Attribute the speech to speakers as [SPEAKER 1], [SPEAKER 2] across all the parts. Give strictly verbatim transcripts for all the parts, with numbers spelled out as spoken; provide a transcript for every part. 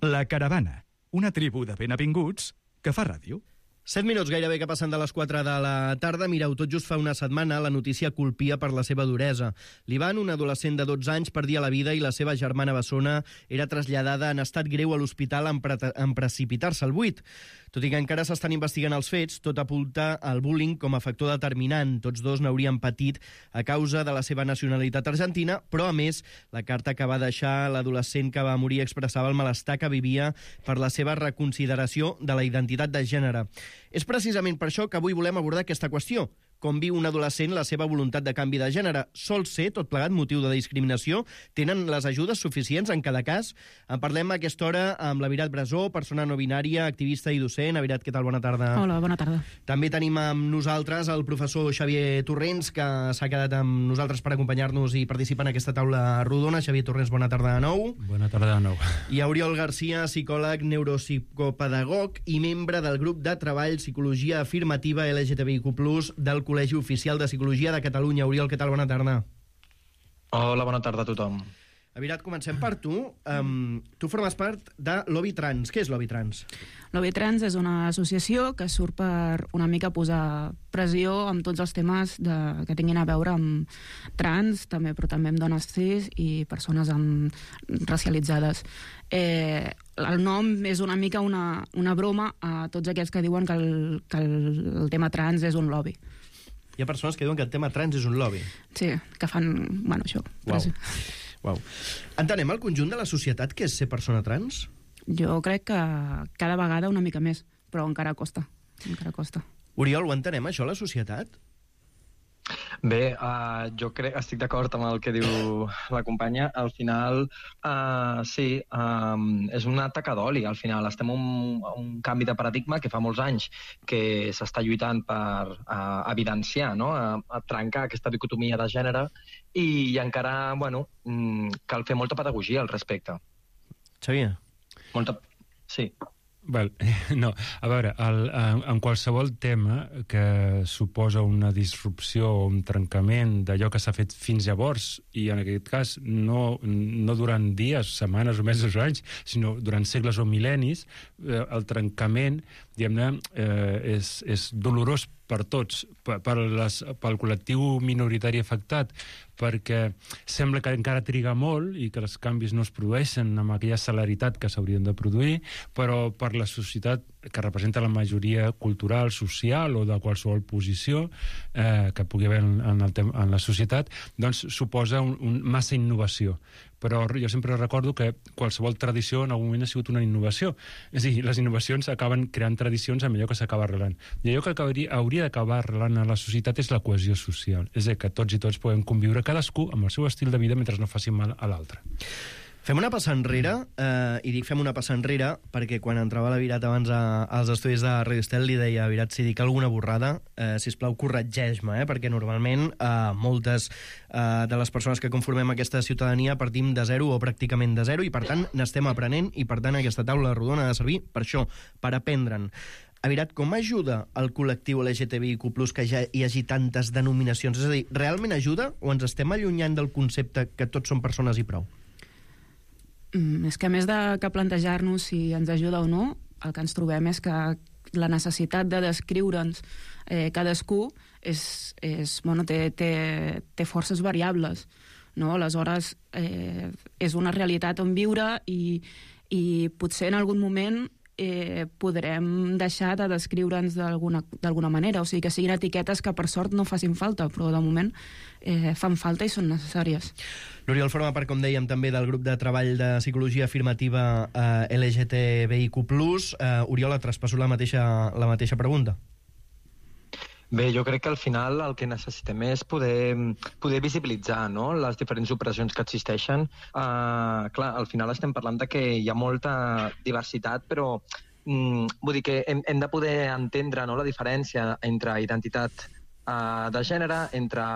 [SPEAKER 1] La Caravana, una tribu de benvinguts que fa ràdio.
[SPEAKER 2] Set minuts gairebé que passen de les quatre de la tarda. Mireu, tot just fa una setmana la notícia colpia per la seva duresa. L'Ivan, un adolescent de dotze anys, perdia la vida i la seva germana bessona era traslladada en estat greu a l'hospital en, pre en precipitar-se al buit. Tot i que encara s'estan investigant els fets, tot apunta al bullying com a factor determinant. Tots dos n'haurien patit a causa de la seva nacionalitat argentina, però a més, la carta que va deixar l'adolescent que va morir expressava el malestar que vivia per la seva reconsideració de la identitat de gènere. És precisament per això que avui volem abordar aquesta qüestió. Com viu un adolescent la seva voluntat de canvi de gènere? Sol ser, tot plegat, motiu de discriminació? Tenen les ajudes suficients en cada cas? En parlem a aquesta hora amb la Virat Brasó, persona no binària, activista i docent. Virat, què tal? Bona tarda.
[SPEAKER 3] Hola, bona tarda.
[SPEAKER 2] També tenim amb nosaltres el professor Xavier Torrents, que s'ha quedat amb nosaltres per acompanyar-nos i participar en aquesta taula rodona. Xavier Torrents, bona tarda de nou.
[SPEAKER 4] Bona tarda de nou.
[SPEAKER 2] I Oriol Garcia, psicòleg, neuropsicopedagog i membre del grup de treball Psicologia Afirmativa L G T B I Q plus, del Col·legi Oficial de Psicologia de Catalunya. Oriol, què tal? Bona tarda.
[SPEAKER 5] Hola, bona tarda a tothom.
[SPEAKER 2] Virat, comencem per tu. Um, tu formes part de Lobby Trans. Què és Lobby Trans?
[SPEAKER 3] Lobby Trans és una associació que surt per una mica posar pressió amb tots els temes de, que tinguin a veure amb trans, també, però també amb dones cis i persones amb, racialitzades. Eh, el nom és una mica una, una broma a tots aquells que diuen que el, que el, el tema trans és un lobby.
[SPEAKER 2] Hi ha persones que diuen que el tema trans és un lobby.
[SPEAKER 3] Sí, que fan, bueno, això.
[SPEAKER 2] Uau. Uau. Entenem el conjunt de la societat que és ser persona trans?
[SPEAKER 3] Jo crec que cada vegada una mica més, però encara costa. Encara costa.
[SPEAKER 2] Oriol, ho entenem, això, la societat?
[SPEAKER 5] Bé, uh, jo crec, estic d'acord amb el que diu la companya. Al final, uh, sí, um, és una taca d'oli. Al final estem en un, un canvi de paradigma que fa molts anys que s'està lluitant per uh, evidenciar, no? a, a trencar aquesta dicotomia de gènere i, i encara, bueno, mm, cal fer molta pedagogia al respecte.
[SPEAKER 2] Xavier?
[SPEAKER 5] Molta... Sí.
[SPEAKER 4] Val, no, a veure, el, en, en qualsevol tema que suposa una disrupció o un trencament d'allò que s'ha fet fins llavors, i en aquest cas no, no durant dies, setmanes o mesos o anys, sinó durant segles o mil·lennis, eh, el trencament, diguem-ne, eh, és, és dolorós per tots, per, per les, pel col·lectiu minoritari afectat, perquè sembla que encara triga molt i que els canvis no es produeixen amb aquella celeritat que s'haurien de produir, però per la societat que representa la majoria cultural, social o de qualsevol posició eh, que pugui haver en, en, el tem en la societat, doncs suposa un, un, massa innovació. Però jo sempre recordo que qualsevol tradició en algun moment ha sigut una innovació. És a dir, les innovacions acaben creant tradicions amb allò que s'acaba arrelant. I allò que acabaria, hauria d'acabar arrelant a la societat és la cohesió social. És a dir, que tots i tots podem conviure cadascú amb el seu estil de vida mentre no faci mal a l'altre.
[SPEAKER 2] Fem una passa enrere, eh, i dic fem una passa enrere perquè quan entrava la Virat abans a, als estudis de Radio Estel li deia, Virat, si dic alguna borrada, eh, sisplau, corregeix-me, eh, perquè normalment eh, moltes eh, de les persones que conformem aquesta ciutadania partim de zero o pràcticament de zero i per tant n'estem aprenent i per tant aquesta taula rodona ha de servir per això, per aprendre'n. Virat, com ajuda el col·lectiu L G T B I Q plus que ja hi hagi tantes denominacions? És a dir, realment ajuda o ens estem allunyant del concepte que tots són persones i prou?
[SPEAKER 3] Mm, és que a més de que plantejar-nos si ens ajuda o no, el que ens trobem és que la necessitat de descriure'ns eh, cadascú és, és, bueno, té, té, té forces variables, no? Aleshores eh, és una realitat on viure i, i potser en algun moment eh, podrem deixar de descriure'ns d'alguna manera, o sigui que siguin etiquetes que per sort no facin falta, però de moment eh, fan falta i són necessàries.
[SPEAKER 2] L'Oriol forma part, com dèiem, també del grup de treball de psicologia afirmativa eh, L G T B I Q plus. Eh, Oriol, et traspasso la mateixa, la mateixa pregunta.
[SPEAKER 5] Bé, jo crec que al final el que necessitem és poder, poder visibilitzar, no?, les diferents opressions que existeixen. Uh, clar, al final estem parlant de que hi ha molta diversitat, però mm, vull dir que hem, hem de poder entendre, no?, la diferència entre identitat uh, de gènere, entre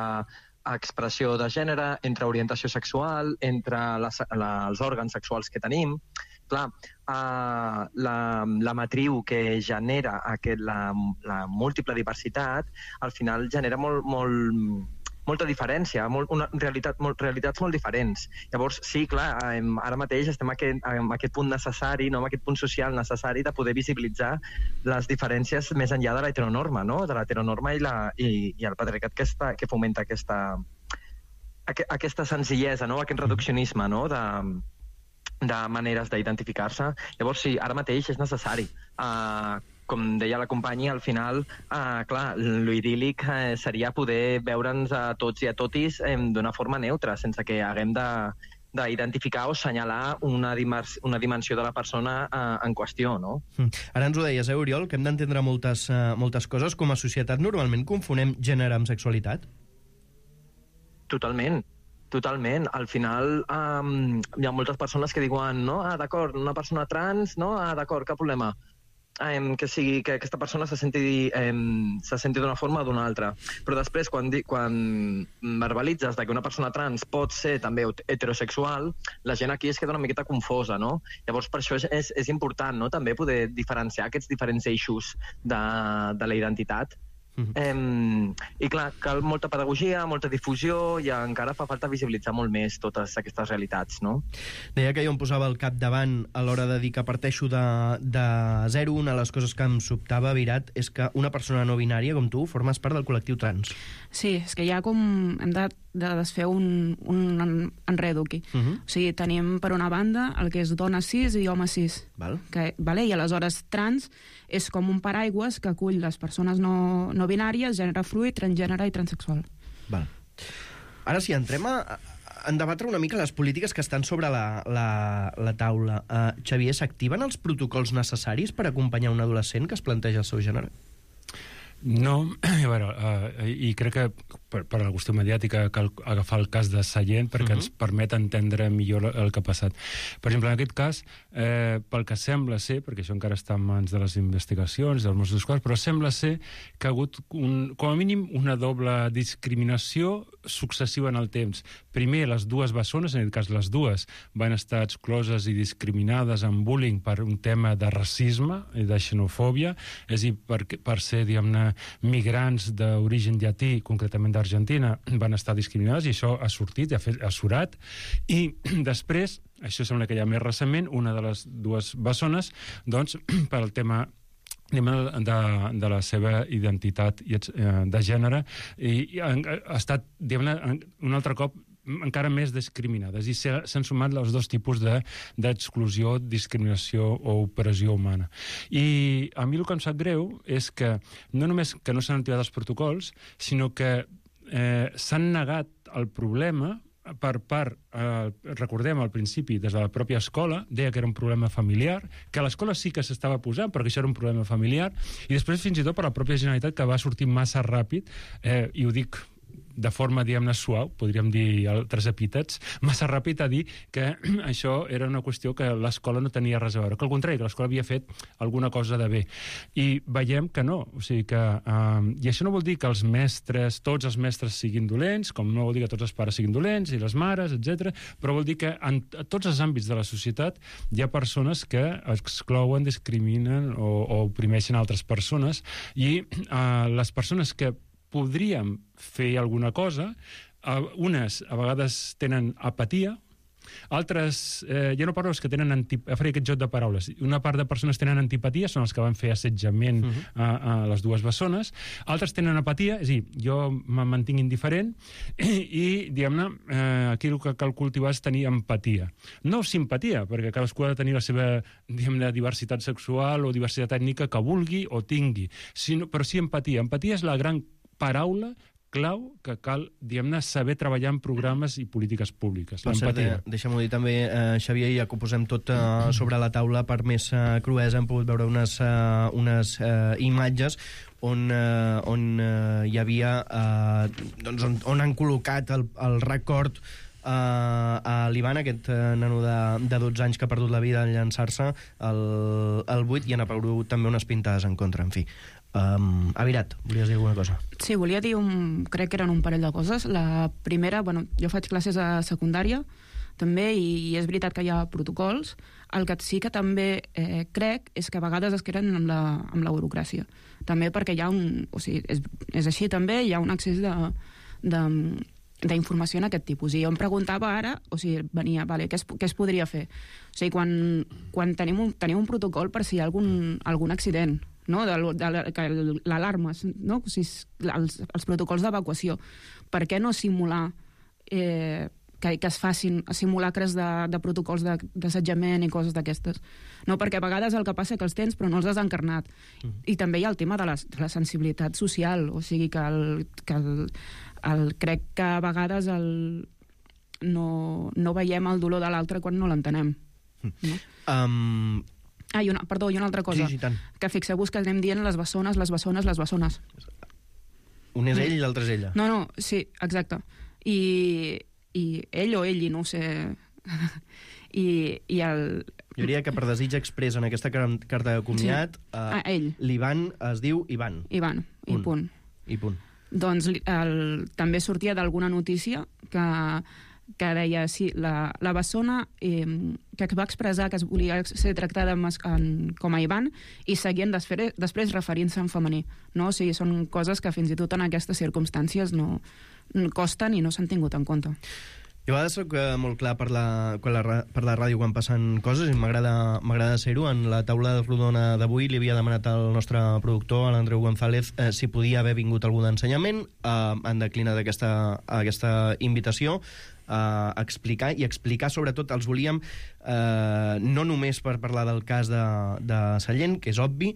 [SPEAKER 5] expressió de gènere, entre orientació sexual, entre les, la, els òrgans sexuals que tenim. Clar, uh, la, la matriu que genera aquest, la, la múltiple diversitat al final genera molt, molt, molta diferència, molt, una realitat, molt, realitats molt diferents. Llavors, sí, clar, ara mateix estem en aquest, en aquest punt necessari, no? En aquest punt social necessari de poder visibilitzar les diferències més enllà de l'heteronorma, no? De l'heteronorma i, la, i, i el patriarcat que, està, que fomenta aquesta, aquesta senzillesa, no? Aquest reduccionisme, no? De, de maneres d'identificar-se. Llavors, sí, ara mateix és necessari. Uh, com deia la companya, al final, uh, clar, l'idíl·lic uh, seria poder veure'ns a tots i a totis um, d'una forma neutra, sense que haguem de d'identificar o assenyalar una, dimers, una dimensió de la persona uh, en qüestió, no?
[SPEAKER 2] Ara ens ho deies, eh, Oriol, que hem d'entendre moltes, uh, moltes coses. Com a societat normalment confonem gènere amb sexualitat?
[SPEAKER 5] Totalment. Totalment. Al final um, hi ha moltes persones que diuen no, ah, d'acord, una persona trans, no, ah, d'acord, cap problema. Um, que sigui que aquesta persona se senti, um, se senti d'una forma o d'una altra. Però després, quan, di, quan verbalitzes que una persona trans pot ser també heterosexual, la gent aquí es queda una miqueta confosa, no? Llavors, per això és, és, és important, no?, també poder diferenciar aquests diferents eixos de, de la identitat. Mm-hmm. Eh, I clar, cal molta pedagogia, molta difusió i encara fa falta visibilitzar molt més totes aquestes realitats, no?
[SPEAKER 2] Deia que jo em posava al capdavant a l'hora de dir que parteixo de, de zero. Una de les coses que em sobtava, Virat, és que una persona no binària com tu formes part del col·lectiu trans.
[SPEAKER 3] Sí, és que ja com hem de, de desfer un, un enredo aquí. Uh-huh. O sigui, tenim per una banda el que és dona cis i home cis.
[SPEAKER 2] Val.
[SPEAKER 3] Que, vale? I aleshores trans és com un paraigües que acull les persones no, no binàries, gènere fluid, transgènere i transexual.
[SPEAKER 2] Val. Ara sí, entrem a, a debatre una mica les polítiques que estan sobre la, la, la taula. Uh, Xavier, s'activen els protocols necessaris per acompanyar un adolescent que es planteja el seu gènere?
[SPEAKER 4] No, a veure, uh, i crec que per, per la qüestió mediàtica cal agafar el cas de Sallent perquè uh-huh. ens permet entendre millor el que ha passat. Per exemple, en aquest cas, eh, pel que sembla ser, perquè això encara està en mans de les investigacions, dels Mossos d'Esquadra, però sembla ser que ha hagut, un, com a mínim, una doble discriminació successiva en el temps. Primer, les dues bessones, en aquest cas les dues, van estar excloses i discriminades en bullying per un tema de racisme i de xenofòbia, és a dir, per, per ser, diguem-ne, migrants d'origen llatí, concretament d'Argentina, van estar discriminades i això ha sortit, ha, fet, ha surat. I després, això sembla que ja més recentment, una de les dues bessones, doncs, per al tema de, de la seva identitat de gènere, i ha estat, diguem-ne, un altre cop encara més discriminades, i s'han sumat els dos tipus d'exclusió, de, discriminació o opressió humana. I a mi el que em sap greu és que no només que no s'han activat els protocols, sinó que eh, s'han negat el problema per part, eh, recordem al principi, des de la pròpia escola, deia que era un problema familiar, que a l'escola sí que s'estava posant, perquè això era un problema familiar, i després fins i tot per la pròpia Generalitat, que va sortir massa ràpid, eh, i ho dic de forma, diguem-ne, suau, podríem dir altres epítets, massa ràpid a dir que això era una qüestió que l'escola no tenia res a veure, que al contrari, que l'escola havia fet alguna cosa de bé. I veiem que no, o sigui que... Eh, I això no vol dir que els mestres, tots els mestres siguin dolents, com no vol dir que tots els pares siguin dolents, i les mares, etcètera, però vol dir que en tots els àmbits de la societat hi ha persones que exclouen, discriminen o, o oprimeixen altres persones, i eh, les persones que podríem fer alguna cosa, unes a vegades tenen apatia, altres, eh, ja no parlo que tenen antipatia, faré aquest joc de paraules, una part de persones tenen antipatia, són els que van fer assetjament uh-huh. a, a les dues bessones, altres tenen apatia, és a dir, jo me mantinc indiferent, i, i diguem-ne, eh, aquí el que cal cultivar és tenir empatia. No simpatia, perquè cadascú ha de tenir la seva, diguem-ne, diversitat sexual o diversitat ètnica que vulgui o tingui, sinó, però sí empatia. Empatia és la gran paraula clau que cal, diguem-ne, saber treballar en programes i polítiques públiques. L'empatia.
[SPEAKER 2] De, deixa'm-ho dir també, eh, Xavier, ja que ho posem tot eh, sobre la taula per més eh, cruesa, hem pogut veure unes, eh, unes eh, imatges on, eh, on eh, hi havia, eh, doncs on, on han col·locat el, el record uh, a l'Ivan, aquest uh, nano de, de dotze anys que ha perdut la vida en llançar-se al, al buit, i han aparegut també unes pintades en contra, en fi. Um, Avirat, volies dir alguna cosa?
[SPEAKER 3] Sí, volia dir, un, crec que eren un parell de coses. La primera, bueno, jo faig classes a secundària també, i, i és veritat que hi ha protocols. El que sí que també eh, crec és que a vegades es queden amb la, amb la burocràcia. També perquè hi ha un... O sigui, és, és així també, hi ha un excés de, d'informació en aquest tipus. I jo em preguntava ara, o sigui, venia, vale, què es, què es podria fer? O sigui, quan, quan tenim, un, tenim un protocol per si hi ha algun, algun accident, no? de, de l'alarma, no? O sigui, els, els protocols d'evacuació. Per què no simular eh, que, que es facin simulacres de, de protocols d'assetjament i coses d'aquestes? No, perquè a vegades el que passa que els tens però no els has encarnat. Mm. I també hi ha el tema de la, de la sensibilitat social, o sigui que, el, que el, el, crec que a vegades el, no, no veiem el dolor de l'altre quan no l'entenem. Mm. No?
[SPEAKER 2] Um...
[SPEAKER 3] Ah, i una, perdó, i una altra cosa.
[SPEAKER 2] Sí, sí, tant.
[SPEAKER 3] Que fixeu-vos que anem dient les bessones, les bessones, les bessones.
[SPEAKER 2] Un és ell i l'altre és ella.
[SPEAKER 3] No, no, sí, exacte. I, i ell o ell, no ho sé. I, i el...
[SPEAKER 2] Jo diria que per desig express en aquesta carta de comiat,
[SPEAKER 3] sí. ah, ell.
[SPEAKER 2] l'Ivan es diu Ivan.
[SPEAKER 3] Ivan, i punt.
[SPEAKER 2] I punt.
[SPEAKER 3] Doncs el, també sortia d'alguna notícia que, que deia, sí, la, la bessona eh, que va expressar que es volia ser tractada en, en, com a Ivan i seguien després, després referint-se en femení. No? O sigui, són coses que fins i tot en aquestes circumstàncies no, no costen i no s'han tingut en compte.
[SPEAKER 2] Jo a vegades soc molt clar per la, per, la, per la ràdio quan passen coses i m'agrada ser-ho. En la taula rodona d'avui li havia demanat al nostre productor, l'Andreu González, eh, si podia haver vingut algú d'ensenyament. Eh, han declinat aquesta, aquesta invitació a explicar, i explicar sobretot els volíem eh, no només per parlar del cas de, de Sallent, que és obvi,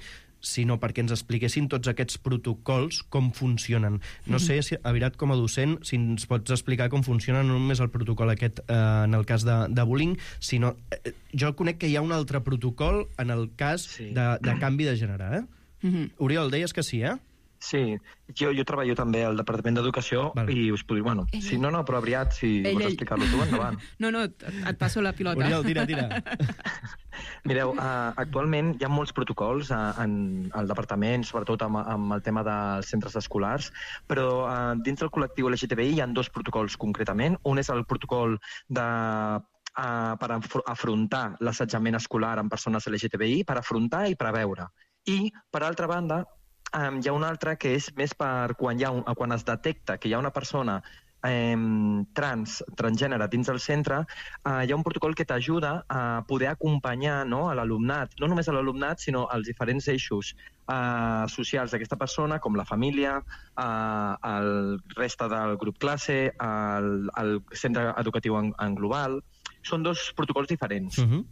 [SPEAKER 2] sinó perquè ens expliquessin tots aquests protocols, com funcionen. No sé, si, Avirat, com a docent, si ens pots explicar com funciona no només el protocol aquest eh, en el cas de, de bullying, sinó... Eh, jo conec que hi ha un altre protocol en el cas sí. de, de canvi de gènere, eh? Mm-hmm. Oriol, deies que sí, eh?
[SPEAKER 5] Sí, jo, jo treballo també al Departament d'Educació vale. I us puc dir, bueno, ell, si no, no, però aviat, si ell, vols explicar-lo tu, endavant.
[SPEAKER 3] No, no, et passo la pilota.
[SPEAKER 2] Oriol, tira, tira.
[SPEAKER 5] Mireu, uh, actualment hi ha molts protocols uh, en el departament, sobretot amb, amb el tema dels centres escolars, però uh, dins del col·lectiu L G T B I hi ha dos protocols concretament. Un és el protocol de uh, per afrontar l'assetjament escolar en persones L G T B I, per afrontar i preveure. I, per altra banda, Um, hi ha un altre que és més per quan, hi ha un, quan es detecta que hi ha una persona um, trans, transgènere dins del centre, uh, hi ha un protocol que t'ajuda a poder acompanyar, no, a l'alumnat, no només a l'alumnat, sinó als diferents eixos uh, socials d'aquesta persona, com la família, uh, el reste del grup classe, el, el centre educatiu en, en global. Són dos protocols diferents. Uh-huh.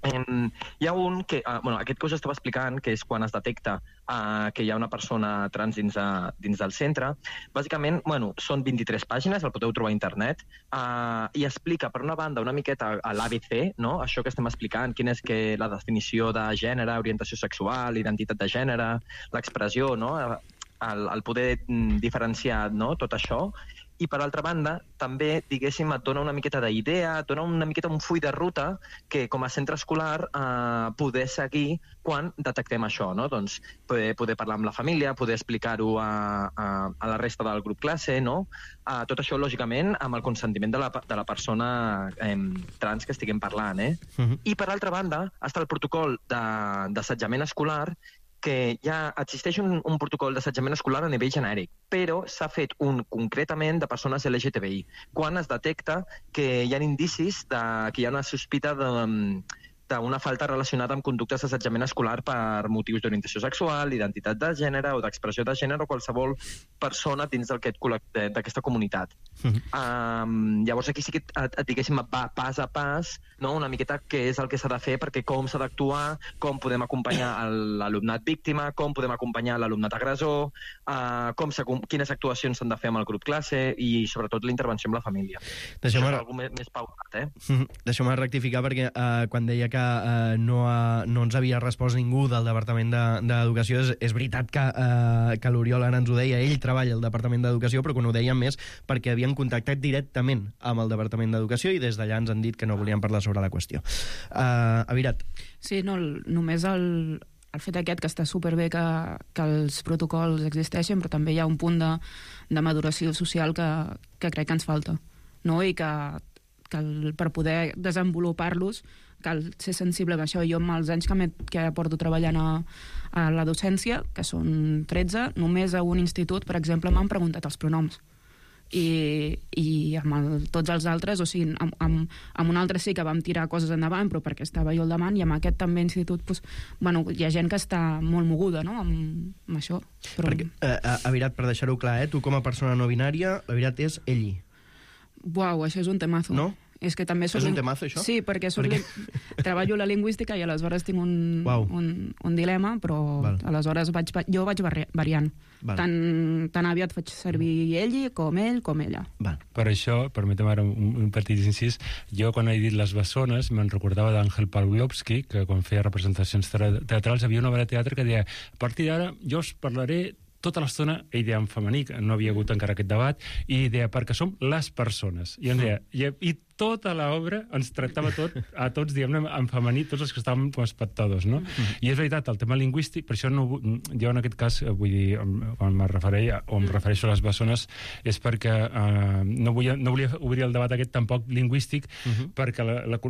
[SPEAKER 5] Um, hi ha un que, uh, bueno, aquest que us estava explicant, que és quan es detecta uh, que hi ha una persona trans dins, de, dins del centre. Bàsicament, bueno, són vint-i-tres pàgines, el podeu trobar a internet, uh, i explica, per una banda, una miqueta a l'A B C, no? Això que estem explicant, quina és que la definició de gènere, orientació sexual, identitat de gènere, l'expressió, no? el, el poder diferenciar, no? Tot això. I, per altra banda, també, diguéssim, et dona una miqueta d'idea, et dona una miqueta un full de ruta que, com a centre escolar, eh, poder seguir quan detectem això, no? Doncs poder, poder parlar amb la família, poder explicar-ho a, a, a la resta del grup classe, no? Eh, tot això, lògicament, amb el consentiment de la, de la persona eh, trans que estiguem parlant, eh? Uh-huh. I, per altra banda, està el protocol d'assetjament escolar, que ja existeix un, un protocol d'assetjament escolar a nivell genèric, però s'ha fet un concretament de persones L G T B I, quan es detecta que hi ha indicis de, que hi ha una sospita de, d'una falta relacionada amb conductes d'assetjament escolar per motius d'orientació sexual, identitat de gènere o d'expressió de gènere o qualsevol persona dins d'aquesta comunitat. Uh-huh. Um, llavors aquí sí que et, et diguéssim va pas a pas, no? Una miqueta què és el que s'ha de fer, perquè com s'ha d'actuar, com podem acompanyar l'alumnat víctima, com podem acompanyar l'alumnat agressor, uh, com quines actuacions s'han de fer amb el grup classe i sobretot la intervenció amb la família. Deixeu-me... Això és alguna més, més pautat, eh?
[SPEAKER 2] Uh-huh. Deixeu-me rectificar perquè uh, quan deia que uh, no, ha, no ens havia respost ningú del Departament d'Educació, és, és veritat que, uh, que l'Oriol ara ens ho deia, ell treballa al Departament d'Educació, però quan ho dèiem més perquè havien contactat directament amb el Departament d'Educació i des d'allà ens han dit que no volien parlar sobre la qüestió. Uh, Avirat.
[SPEAKER 3] Sí, no, només el, el fet aquest que està superbé que, que els protocols existeixen, però també hi ha un punt de, de maduració social que, que crec que ens falta, no? I que, que el, per poder desenvolupar-los cal ser sensible amb això. Jo, amb els anys que, que porto treballant a, a la docència, que són tretze, només a un institut, per exemple, m'han preguntat els pronoms. i, i amb el, tots els altres, o sigui, amb, amb, amb un altre sí que vam tirar coses endavant, però perquè estava jo al davant, i amb aquest també institut, doncs, bueno, hi ha gent que està molt moguda, no?, amb, amb això. Però...
[SPEAKER 2] Perquè, eh, Avirat, per deixar-ho clar, eh, tu com a persona no binària, l'Avirat és ell.
[SPEAKER 3] Uau, això és un temazo.
[SPEAKER 2] No?
[SPEAKER 3] És que també soc
[SPEAKER 2] És un
[SPEAKER 3] ling...
[SPEAKER 2] temazo, això?
[SPEAKER 3] Sí, perquè, soc
[SPEAKER 2] perquè...
[SPEAKER 3] Li... treballo la lingüística i aleshores tinc un,
[SPEAKER 2] wow.
[SPEAKER 3] un, un dilema, però
[SPEAKER 2] Val.
[SPEAKER 3] aleshores vaig, jo vaig variant.
[SPEAKER 2] Val.
[SPEAKER 3] Tan, tan aviat faig servir ell com ell com ella.
[SPEAKER 2] Val.
[SPEAKER 4] Per això, permetem ara un, un petit incís, jo quan he dit les bessones me'n recordava d'Àngel Pawlowski, que quan feia representacions teatrals havia una obra de teatre que deia, a partir d'ara jo us parlaré tota l'estona, ell deia en femení, que no havia hagut encara aquest debat, i deia, perquè som les persones. I em deia, i, i tota l'obra ens tractava tot, a tots, diguem-ne, en femení, tots els que estàvem com a espectadors, no? Mm-hmm. I és veritat, el tema lingüístic, per això no, jo en aquest cas, vull dir, quan me refereixo, o em refereixo a les bessones, és perquè eh, no, volia, no volia obrir el debat aquest tampoc lingüístic, mm-hmm. perquè la, la,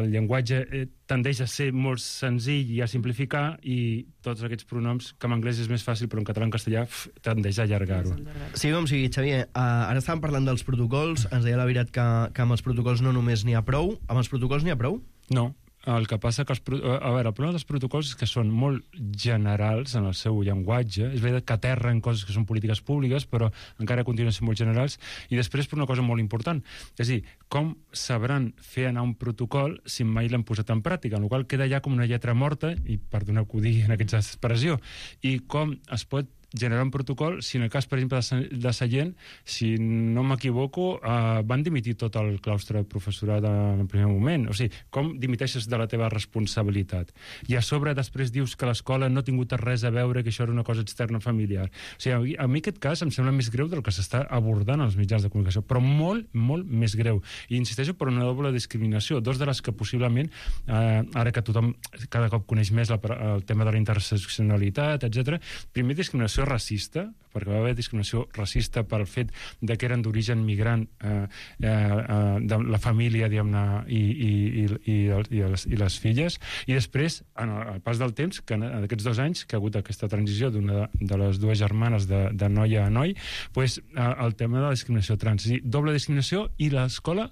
[SPEAKER 4] el llenguatge tendeix a ser molt senzill i a simplificar, i tots aquests pronoms, que en anglès és més fàcil, però en català i en castellà pf, tendeix a allargar-ho.
[SPEAKER 2] Sí, com sigui, Xavier, uh, ara estàvem parlant dels protocols, ens deia l'Avirat que, que amb els protocols no només n'hi ha prou. Amb els protocols n'hi ha prou?
[SPEAKER 4] No. El que passa que els, a veure, el problema dels protocols és que són molt generals en el seu llenguatge. És veritat que aterren coses que són polítiques públiques, però encara continuen sent molt generals. I després per una cosa molt important. És a dir, com sabran fer anar un protocol si mai l'han posat en pràctica? En el qual queda ja com una lletra morta, i perdoneu que ho digui en aquesta expressió, i com es pot generar un protocol si en el cas, per exemple, de Sallent, si no m'equivoco, eh, van dimitir tot el claustre de professorat en el primer moment. O sigui, com dimiteixes de la teva responsabilitat? I a sobre després dius que l'escola no ha tingut res a veure, que això era una cosa externa familiar. O sigui, a mi aquest cas em sembla més greu del que s'està abordant als mitjans de comunicació, però molt, molt més greu. I insisteixo per una doble discriminació, dos de les que possiblement, eh, ara que tothom cada cop coneix més la, el tema de la interseccionalitat, etcètera, primer discriminació racista, perquè va haver discriminació racista pel fet de que eren d'origen migrant eh, eh, de la família, diguem-ne, i, i, i, i, i, les, i les filles, i després, en el, el pas del temps, que en aquests dos anys, que ha hagut aquesta transició d'una de les dues germanes de, de noia a noi, pues, eh, el tema de la discriminació trans, i doble discriminació, i l'escola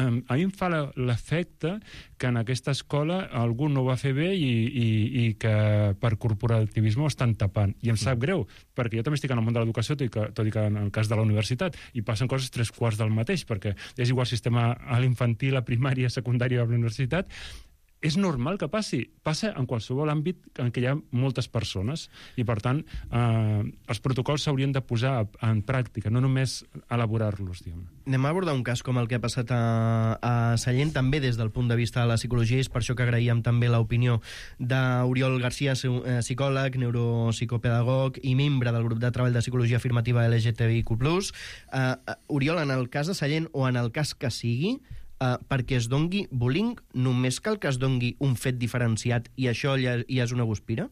[SPEAKER 4] Um, a mi em fa l'efecte que en aquesta escola algú no ho va fer bé i, i, i que per corporativisme ho estan tapant. I em sap greu, perquè jo també estic en el món de l'educació, tot i que, tot i que en el cas de la universitat, i passen coses tres quarts del mateix, perquè és igual sistema a l'infantil, a primària, a secundària, a la universitat. És normal que passi. Passa en qualsevol àmbit en què hi ha moltes persones i, per tant, eh, els protocols s'haurien de posar en pràctica, no només elaborar-los, diguem-ne.
[SPEAKER 2] Anem a abordar un cas com el que ha passat a, a Sallent, també des del punt de vista de la psicologia, és per això que agraïem també l'opinió d'Oriol Garcia, psicòleg, neuropsicopedagog i membre del grup de treball de psicologia afirmativa L G T B I Q plus. Uh, Oriol, en el cas de Sallent, o en el cas que sigui, Uh, perquè es dongui bullying, només cal que es dongui un fet diferenciat i això ja, ja és una guspira?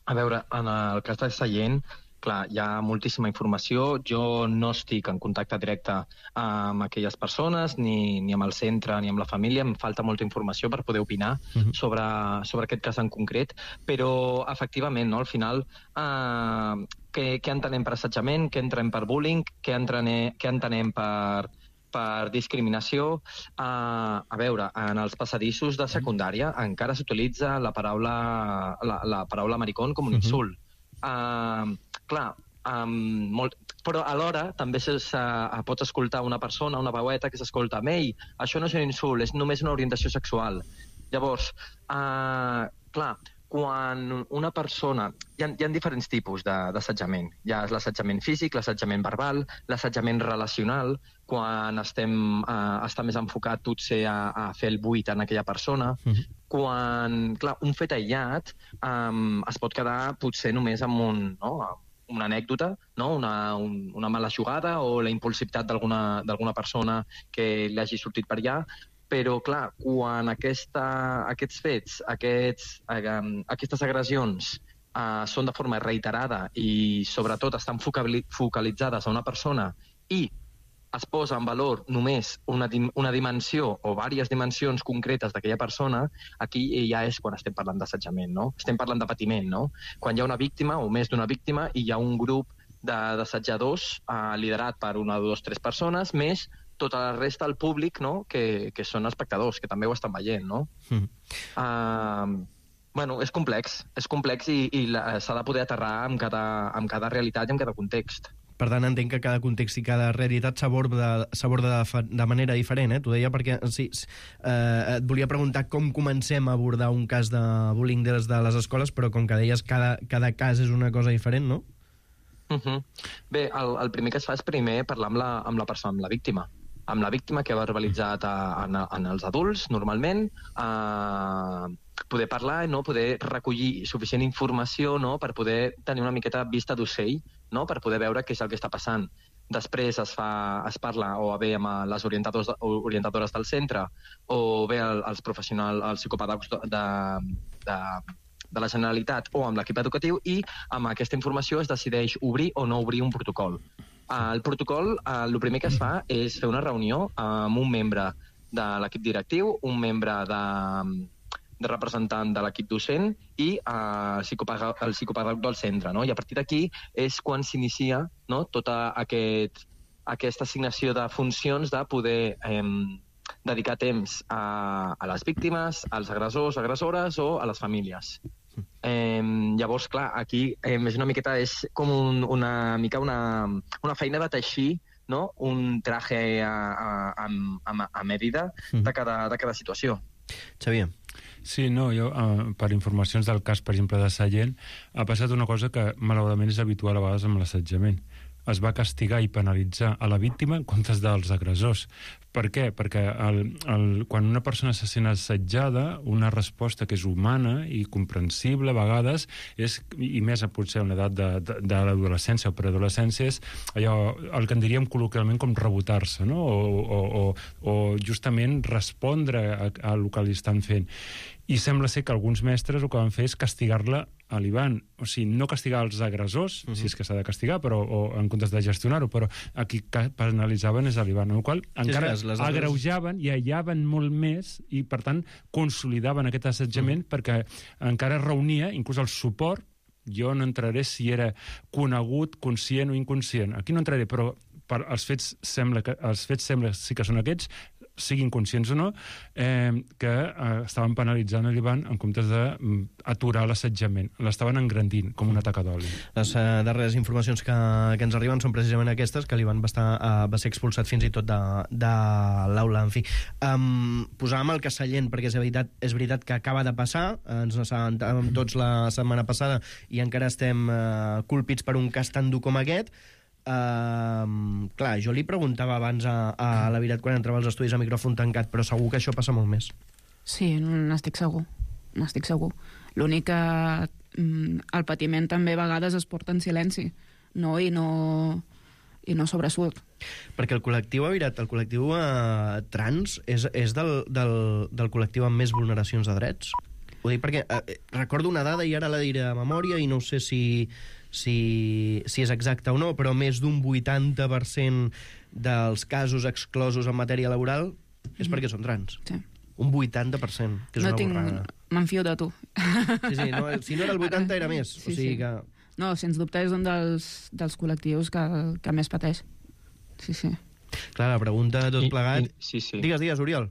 [SPEAKER 5] A veure, en el cas de Sallent, clar, hi ha moltíssima informació. Jo no estic en contacte directe amb aquelles persones, ni, ni amb el centre, ni amb la família. Em falta molta informació per poder opinar uh-huh. sobre, sobre aquest cas en concret, però efectivament, no, al final, eh, què, què entenem per assetjament, què entenem per bullying, què entenem, què entenem per... per discriminació. Uh, a veure, en els passadissos de secundària encara s'utilitza la paraula, la, la paraula maricón com un uh-huh. insult. Uh, clar, um, molt, però alhora també se, se, pots escoltar una persona, una veueta que s'escolta amb ell, això no és un insult, és només una orientació sexual. Llavors, uh, clar, quan una persona... Hi ha, hi ha diferents tipus d'assetjament. Hi ha l'assetjament físic, l'assetjament verbal, l'assetjament relacional, quan estem, eh, està més enfocat potser a, a fer el buit en aquella persona. Uh-huh. Quan, clar, un fet aïllat eh, es pot quedar potser només amb un... No? una anècdota, no? una, un, una mala jugada o la impulsivitat d'alguna persona que li hagi sortit per allà. Però, clar, quan aquesta, aquests fets, aquests, eh, aquestes agressions eh, són de forma reiterada i, sobretot, estan focalitzades a una persona i es posa en valor només una, una dimensió o diverses dimensions concretes d'aquella persona, aquí ja és quan estem parlant d'assetjament, no? Estem parlant de patiment, no? Quan hi ha una víctima o més d'una víctima i hi ha un grup d'assetjadors eh, liderat per una, dos, tres persones, més tota la resta del públic, no? que, que són espectadors, que també ho estan veient. No? Mm. Uh, bueno, és complex, és complex i, i s'ha de poder aterrar amb cada, amb cada realitat i amb cada context.
[SPEAKER 2] Per tant, entenc que cada context i cada realitat s'aborda de, de manera diferent, eh? T'ho deia perquè sí, eh, et volia preguntar com comencem a abordar un cas de bullying des de les escoles, però com que deies, cada, cada cas és una cosa diferent, no?
[SPEAKER 5] Uh-huh. Bé, el, el primer que es fa és primer parlar amb la, amb la persona, amb la víctima. Amb la víctima que ha verbalitzat a, a, en els adults, normalment, a poder parlar, no? Poder recollir suficient informació, no? Per poder tenir una miqueta vista d'ocell, no? Per poder veure què és el que està passant. Després es, fa, es parla o bé amb les orientadors, orientadores del centre o bé el, els professionals, els psicopedagogs de, de, de la Generalitat o amb l'equip educatiu, i amb aquesta informació es decideix obrir o no obrir un protocol. El protocol, el primer que es fa és fer una reunió amb un membre de l'equip directiu, un membre de, de representant de l'equip docent i el psicopedagog, el psicopedagog del centre. No? I a partir d'aquí és quan s'inicia, no? Tota aquest, aquesta assignació de funcions de poder eh, dedicar temps a, a les víctimes, als agressors, agressores o a les famílies. Eh, llavors, clar, aquí eh, és una miqueta, és com un, una mica una, una feina de teixir, no? Un traje a, a, a, a medida de cada, de cada situació.
[SPEAKER 2] Xavier.
[SPEAKER 4] Sí, no, jo, uh, per informacions del cas, per exemple, de Sallent, ha passat una cosa que malauradament és habitual a vegades amb l'assetjament. Es va castigar i penalitzar a la víctima en comptes dels agressors. Per què? Perquè el, el, quan una persona se sent assetjada, una resposta que és humana i comprensible a vegades, és, i més potser a una edat de, de, de l'adolescència o preadolescència, és allò, el que en diríem col·loquialment com rebotar-se, no? o, o, o, o justament respondre a, a el que li estan fent. I sembla ser que alguns mestres el que van fer és castigar-la a l'Ivan. O sigui, no castigar els agressors, uh-huh. si és que s'ha de castigar, però, o en comptes de gestionar-ho, però a qui penalitzaven és a l'Ivan, amb el qual encara sí, les agreujaven i aïllaven molt més i, per tant, consolidaven aquest assetjament uh-huh. perquè encara reunia inclús el suport. Jo no entraré si era conegut, conscient o inconscient. Aquí no entraré, però per, els fets sembla que els fets sembla sí que són aquests, siguin conscients o no, eh, que eh, estaven penalitzant l'Ivan en comptes d'aturar l'assetjament. L'estaven engrandint, com una taca d'oli.
[SPEAKER 2] Les eh, darreres informacions que, que ens arriben són precisament aquestes, que l'Ivan va, estar, eh, va ser expulsat fins i tot de, de l'aula. En fi, um, posàvem el cas Sallent, perquè és veritat, és veritat que acaba de passar, ens assabentàvem tots la setmana passada i encara estem eh, colpits per un cas tan dur com aquest. Uh, clar, jo li preguntava abans a, a la Virat quan entrava als estudis a micròfon tancat, però segur que això passa molt més.
[SPEAKER 3] Sí, n'estic segur, n'estic segur. L'únic que mm, el patiment també a vegades es porta en silenci, no? I no, i no sobresurt.
[SPEAKER 2] Perquè el col·lectiu, a Virat, el col·lectiu uh, trans és, és del, del, del col·lectiu amb més vulneracions de drets? Ho dic perquè uh, recordo una dada i ara la diré a memòria i no sé si... Si, si és exacte o no, però més d'un vuitanta per cent dels casos exclosos en matèria laboral és mm-hmm. perquè són trans.
[SPEAKER 3] Sí.
[SPEAKER 2] Un vuitanta per cent, que és
[SPEAKER 3] no
[SPEAKER 2] una
[SPEAKER 3] tinc...
[SPEAKER 2] borrada.
[SPEAKER 3] M'enfio de tu.
[SPEAKER 2] Sí, sí, no, si no era el vuitanta era més.
[SPEAKER 3] Sí,
[SPEAKER 2] o sigui
[SPEAKER 3] sí.
[SPEAKER 2] que...
[SPEAKER 3] No, sens dubte és un dels, dels col·lectius que, que més pateix. Sí, sí.
[SPEAKER 2] Clar, la pregunta de tot
[SPEAKER 5] I,
[SPEAKER 2] plegat...
[SPEAKER 5] I, sí, sí.
[SPEAKER 2] Digues, digues, Oriol.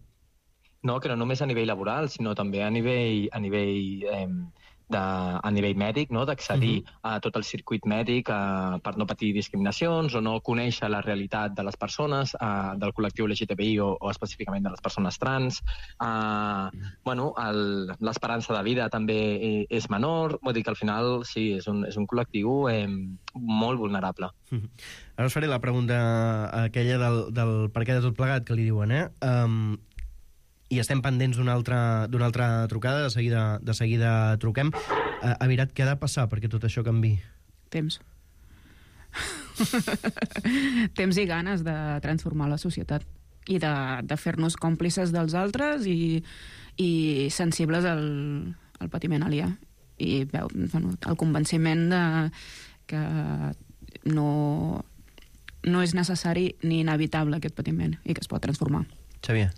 [SPEAKER 5] No, que no només a nivell laboral, sinó també a nivell... A nivell eh, De, a nivell mèdic, no? D'accedir uh-huh. a tot el circuit mèdic a, per no patir discriminacions o no conèixer la realitat de les persones, a, del col·lectiu L G T B I o, o específicament de les persones trans. A, uh-huh. bueno, l'esperança de vida també és menor, vull dir que al final sí, és un, és un col·lectiu eh, molt vulnerable.
[SPEAKER 2] Uh-huh. Ara us faré la pregunta aquella del, del per què de tot plegat que li diuen, eh? Um, i estem pendents d'una altra, d'una altra trucada, de seguida, de seguida truquem. Uh, Avirat, què ha de passar perquè tot això canvi?
[SPEAKER 3] Temps. Temps i ganes de transformar la societat i de, de fer-nos còmplices dels altres i, i sensibles al, al patiment aliè. I veu, bueno, el convenciment de que no, no és necessari ni inevitable aquest patiment i que es pot transformar.
[SPEAKER 2] Xavier.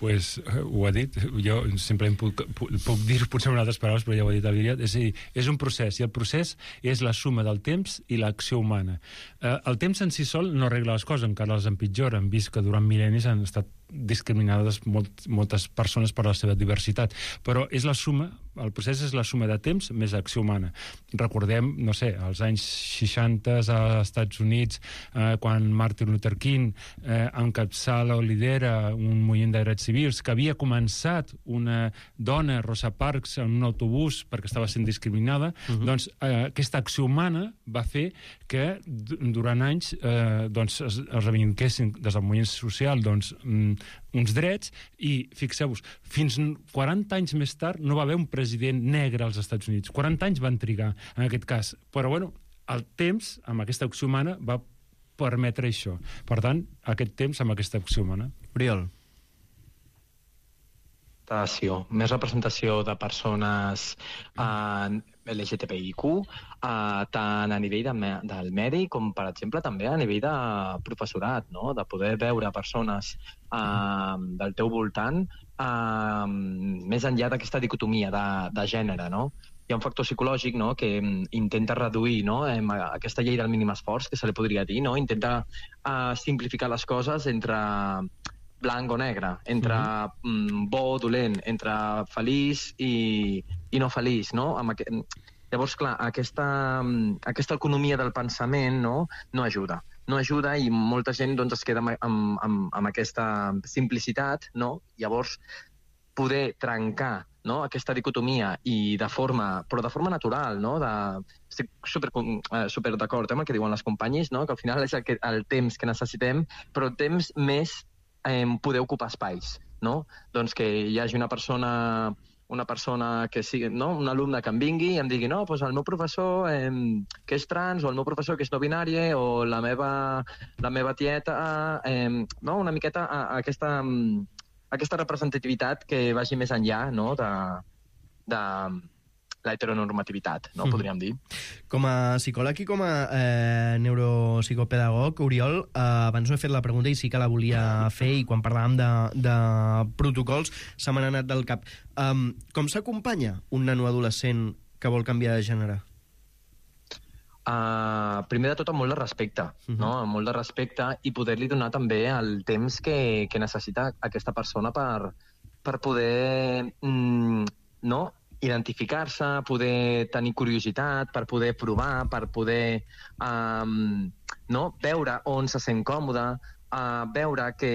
[SPEAKER 4] pues, ho ha dit, jo simplement puc, puc dir potser amb altres paraules, però ja ho ha dit el Viriat, és a dir, és un procés, i el procés és la suma del temps i l'acció humana. Eh, el temps en si sol no arregla les coses, encara les empitjora. Hem vist que durant mil·lennis han estat discriminades molt, moltes persones per la seva diversitat, però és la suma, el procés és la suma de temps més acció humana. Recordem, no sé, als anys seixanta als Estats Units, eh, quan Martin Luther King eh, encapçala o lidera un moviment de drets civils, que havia començat una dona, Rosa Parks, en un autobús perquè estava sent discriminada, uh-huh. doncs eh, aquesta acció humana va fer que durant anys eh, doncs, es, es reivindiquessin des del moviment social doncs, mm, uns drets, i fixeu-vos, fins quaranta anys més tard no va haver un president negre als Estats Units. quaranta anys van trigar en aquest cas, però bueno, el temps amb aquesta acció humana va permetre això. Per tant, aquest temps amb aquesta acció humana.
[SPEAKER 2] Oriol.
[SPEAKER 5] Més representació de persones eh, L G T B I Q, eh, tant a nivell de, del medi com, per exemple, també a nivell de professorat, no? De poder veure persones eh, del teu voltant eh, més enllà d'aquesta dicotomia de, de gènere, no? Hi ha un factor psicològic, no?, que intenta reduir, no?, aquesta llei del mínim esforç, que se li podria dir, no? Intenta uh, simplificar les coses entre blanc o negre, entre uh-huh. bo o dolent, entre feliç i, i no feliç, no? Amb aqu... Llavors, clar, aquesta, aquesta economia del pensament, no?, no ajuda. No ajuda, i molta gent doncs, es queda amb, amb, amb aquesta simplicitat, no? Llavors, poder trencar, no?, aquesta dicotomia, i de forma, però de forma natural, no? De, estic super, super d'acord eh, amb el que diuen les companyes, no?, que al final és el, que, el temps que necessitem, però el temps més eh, poder ocupar espais, no? Doncs que hi hagi una persona, una persona que sigui, no?, un alumne que em vingui i em digui, no, doncs el meu professor eh, que és trans, o el meu professor que és no binari, o la meva, la meva tieta, eh, no?, una miqueta a, a aquesta... aquesta representativitat que vagi més enllà, no?, de, de la heteronormativitat, no?, mm. podríem dir.
[SPEAKER 2] Com a psicòleg i com a eh, neuropsicopedagog, Oriol, eh, abans no he fet la pregunta i sí que la volia fer, i quan parlàvem de, de protocols se m'ha anat del cap. Um, com s'acompanya un nano adolescent que vol canviar de gènere?
[SPEAKER 5] Uh, primer de tot, amb molt de respecte, uh-huh. no? Amb molt de respecte, i poder-li donar també el temps que, que necessita aquesta persona per, per poder mm, no? identificar-se, poder tenir curiositat, per poder provar, per poder um, no? veure on se sent còmode, uh, veure que,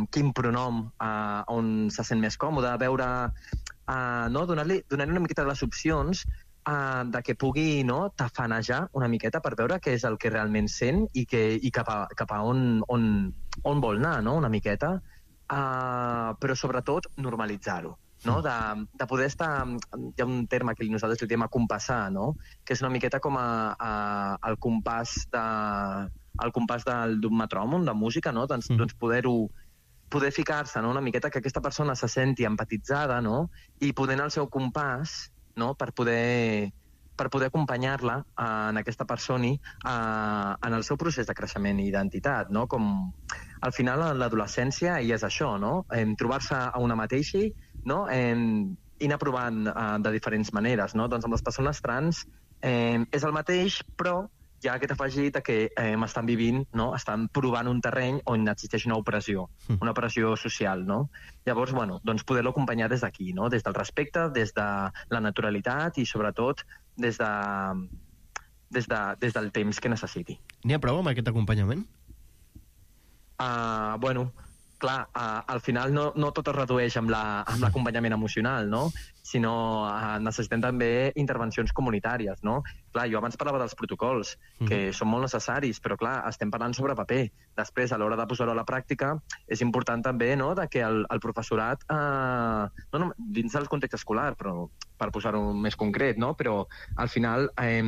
[SPEAKER 5] quin pronom uh, on se sent més còmode, veure, uh, no? donar-li donar-li una miqueta de les opcions Uh, de que pugui, no?, tafanejar una miqueta per veure què és el que realment sent i, que, i cap, a, cap a on, on, on vol anar, no?, una miqueta, uh, però sobretot normalitzar-ho, no?, de, de poder estar... Hi ha un terme que nosaltres li diem acompassar, no?, que és una miqueta com a, a, el compàs de, el compàs d'un metrònom, de música, no?, doncs, mm. doncs poder-ho poder ficar-se, no?, una miqueta que aquesta persona se senti empatitzada, no?, i poder anar al seu compàs, no?, per poder, per poder acompanyar-la en aquesta persona en el seu procés de creixement i identitat, no? Com al final l'adolescència i és això, no? Trobar-se a una mateixa, no? I anar provant de diferents maneres, no? Doncs amb les persones trans eh, és el mateix, però hi ha aquest afegit que eh, estan vivint, no? Estan provant un terreny on existeix una opressió, una opressió social, no? Llavors, bueno, doncs poder-lo acompanyar des d'aquí, no? Des del respecte, des de la naturalitat i, sobretot, des, de, des, de, des del temps que necessiti.
[SPEAKER 2] N'hi ha prou amb aquest acompanyament?
[SPEAKER 5] Uh, bueno, clar, uh, al final no, no tot es redueix amb l'acompanyament la, emocional, no? Sinó uh, necessitem també intervencions comunitàries, no? Clar, jo abans parlava dels protocols, que mm. són molt necessaris, però clar, estem parlant sobre paper. Després, a l'hora de posar-ho a la pràctica, és important també, no?, de que el, el professorat, uh, no, no, dins del context escolar, però per posar-ho més concret, no?, però al final eh,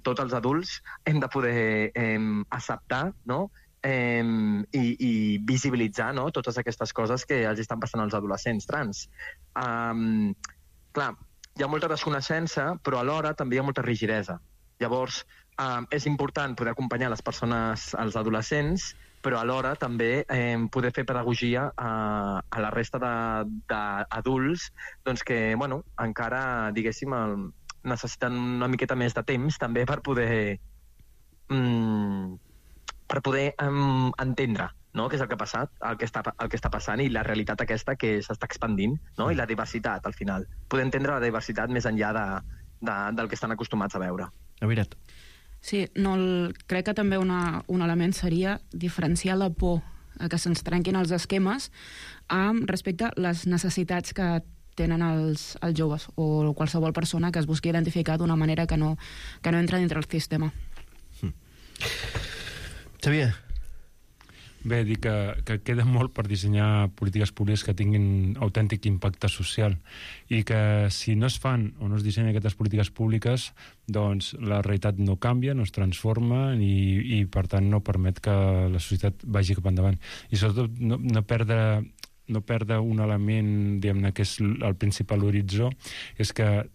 [SPEAKER 5] tots els adults hem de poder eh, acceptar, no?, Eh, i, i visibilitzar, no?, totes aquestes coses que els estan passant als adolescents trans. Um, clar, hi ha molta desconeixença, però alhora també hi ha molta rigidesa. Llavors, um, és important poder acompanyar les persones, els adolescents, però alhora també eh, poder fer pedagogia a, a la resta d'adults doncs que, bueno, encara, diguéssim, el, necessiten una miqueta més de temps també per poder mm, per poder um, entendre, no?, què és el que ha passat, el que està, el que està passant i la realitat aquesta que s'està expandint, no?, i la diversitat, al final. Poder entendre la diversitat més enllà de, de, del que estan acostumats a veure.
[SPEAKER 2] La veritat.
[SPEAKER 3] Sí, no, el, crec que també una, un element seria diferenciar la por a que se'ns trenquin els esquemes amb respecte a les necessitats que tenen els, els joves o qualsevol persona que es busqui identificar d'una manera que no, que no entra dintre el sistema.
[SPEAKER 2] Mm. Xavier?
[SPEAKER 4] Bé, dir que, que queda molt per dissenyar polítiques públiques que tinguin autèntic impacte social i que si no es fan o no es dissenyen aquestes polítiques públiques, doncs la realitat no canvia, no es transforma i, i per tant no permet que la societat vagi cap endavant. I sobretot no, no perdre no perdre un element, diguem-ne, que és el principal horitzó, és que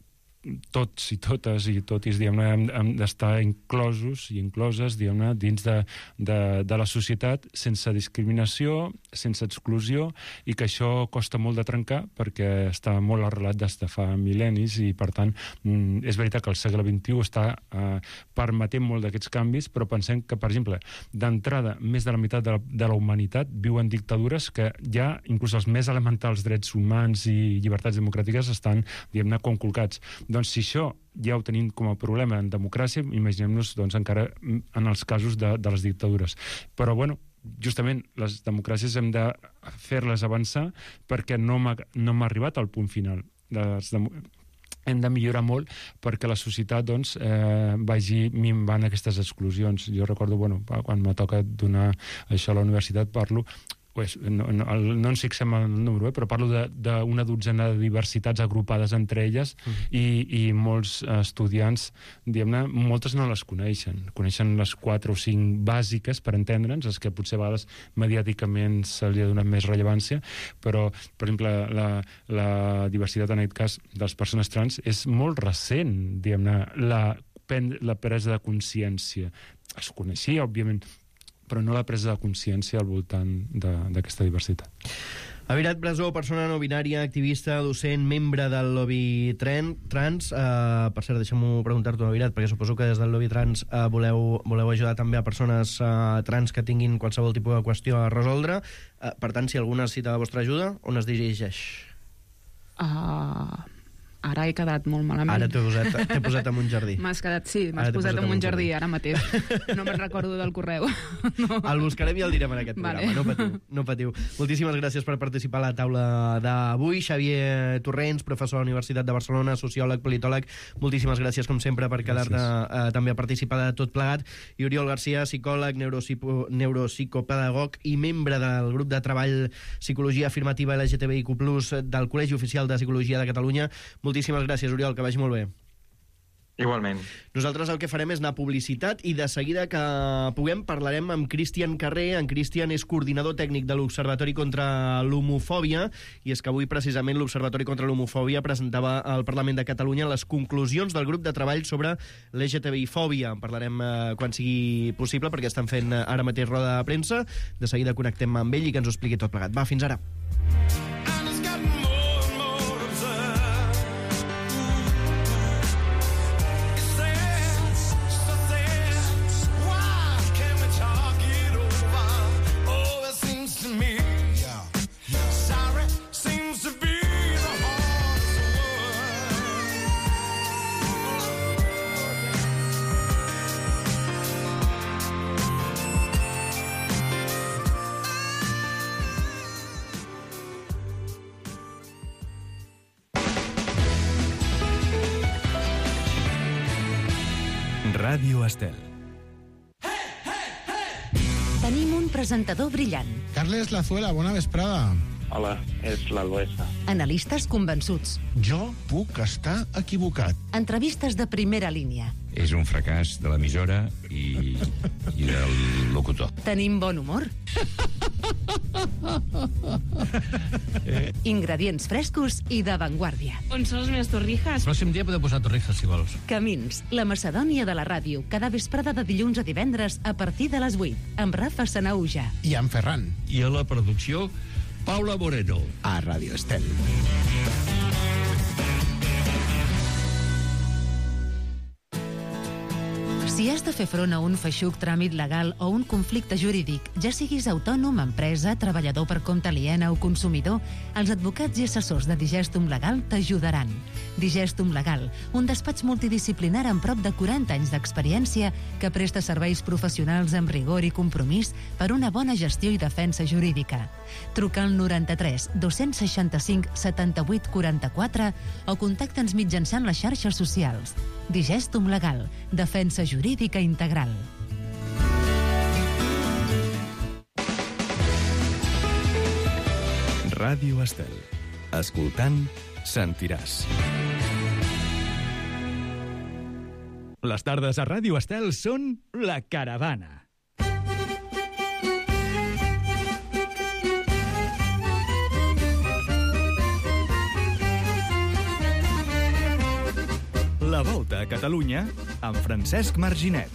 [SPEAKER 4] tots i totes i totis, diguem-ne, hem, hem d'estar inclosos i incloses, diguem-ne, dins de, de, de la societat sense discriminació, sense exclusió, i que això costa molt de trencar perquè està molt arrelat des de fa mil·lennis i, per tant, és veritat que el segle vint-i-u està eh, permetent molt d'aquests canvis, però pensem que, per exemple, d'entrada, més de la meitat de la, de la humanitat viu en dictadures que ja, inclús els més elementals drets humans i llibertats democràtiques estan, diguem-ne, conculcats. Doncs si això ja ho tenim com a problema en democràcia, imaginem-nos doncs, encara en els casos de, de les dictadures. Però, bueno, justament les democràcies hem de fer-les avançar perquè no hem, no hem arribat al punt final. Les dem... Hem de millorar molt perquè la societat doncs, eh, vagi minvant aquestes exclusions. Jo recordo, bueno, quan me toca donar això a la universitat, parlo Pues, no, no, no ens fixem en el número, eh, però parlo d'una dotzena de diversitats agrupades entre elles mm. i, i molts estudiants, diguem-ne, moltes no les coneixen. Coneixen les quatre o cinc bàsiques per entendre'ns, les que potser a vegades mediàticament se li ha donat més rellevància, però, per exemple, la, la diversitat, en aquest cas, de les persones trans és molt recent, diguem-ne, la, la presa de consciència. Es coneixia, òbviament, però no la presa de consciència al voltant d'aquesta diversitat.
[SPEAKER 2] Avirat Brasó, persona no binària, activista, docent, membre del lobby tren, trans. Uh, per cert, deixa'm-ho preguntar-t'ho, Avirat, perquè suposo que des del lobby trans uh, voleu, voleu ajudar també a persones uh, trans que tinguin qualsevol tipus de qüestió a resoldre. Uh, per tant, si alguna necessita la vostra ajuda, on es dirigeix?
[SPEAKER 3] Uh, ara he quedat molt malament.
[SPEAKER 2] Ara t'he posat, t'he posat en un jardí.
[SPEAKER 3] M'has quedat, sí, m'has posat, posat en un jardí, jardí ara mateix. No me'n recordo del correu. No.
[SPEAKER 2] El buscarem i el direm en aquest programa, vale. no patiu, no patiu. Moltíssimes gràcies per participar a la taula d'avui. Xavier Torrents, professor a la Universitat de Barcelona, sociòleg, politòleg, moltíssimes gràcies, com sempre, per quedar-te eh, també a participar de tot plegat. I Oriol Garcia, psicòleg, neuropsico, neuropsicopedagog i membre del grup de treball Psicologia Afirmativa L G T B I Q plus, del Col·legi Oficial de Psicologia de Catalunya. Moltíssimes gràcies, Oriol, que vagi molt bé.
[SPEAKER 5] Igualment.
[SPEAKER 2] Nosaltres el que farem és anar a publicitat i de seguida que puguem parlarem amb Cristian Carrer. En Cristian és coordinador tècnic de l'Observatori contra l'Homofòbia i és que avui precisament l'Observatori contra l'Homofòbia presentava al Parlament de Catalunya les conclusions del grup de treball sobre l'L G T B I-fòbia. En parlarem eh, quan sigui possible perquè estan fent ara mateix roda de premsa. De seguida connectem amb ell i que ens ho expliqui tot plegat. Va, fins ara.
[SPEAKER 6] Ràdio Estel.
[SPEAKER 7] Tenim un presentador brillant.
[SPEAKER 8] Carles Lazuela, bona vesprada.
[SPEAKER 9] Hola, és l'Albuesa.
[SPEAKER 7] Analistes convençuts.
[SPEAKER 8] Jo puc estar equivocat.
[SPEAKER 7] Entrevistes de primera línia.
[SPEAKER 6] És un fracàs de l'emissora i, i del locutor.
[SPEAKER 7] Tenim bon humor. Ingredients frescos i d'avantguàrdia.
[SPEAKER 3] On són les meves torrijas?
[SPEAKER 10] El pròxim dia podeu posar torrijas, si vols.
[SPEAKER 7] Camins, la Macedònia de la ràdio, cada vesprada de dilluns a divendres a partir de les vuit, amb Rafa Sanauja.
[SPEAKER 8] I en Ferran.
[SPEAKER 10] I a la producció, Paula Moreno.
[SPEAKER 8] A Ràdio Estel.
[SPEAKER 7] Si has de fer front a un feixuc tràmit legal o un conflicte jurídic, ja siguis autònom, empresa, treballador per compte aliena o consumidor, els advocats i assessors de Digestum Legal t'ajudaran. Digestum Legal, un despatx multidisciplinar amb prop de quaranta anys d'experiència que presta serveis professionals amb rigor i compromís per una bona gestió i defensa jurídica. Truca al noranta-tres dos-cents seixanta-cinc setanta-vuit quaranta-quatre o contacta'ns mitjançant les xarxes socials. Digestum Legal, defensa jurídica integral.
[SPEAKER 6] Ràdio Estel. Escoltant, sentiràs.
[SPEAKER 1] Les tardes a Ràdio Estel són La Caravana. La Volta a Catalunya amb Francesc Marginet.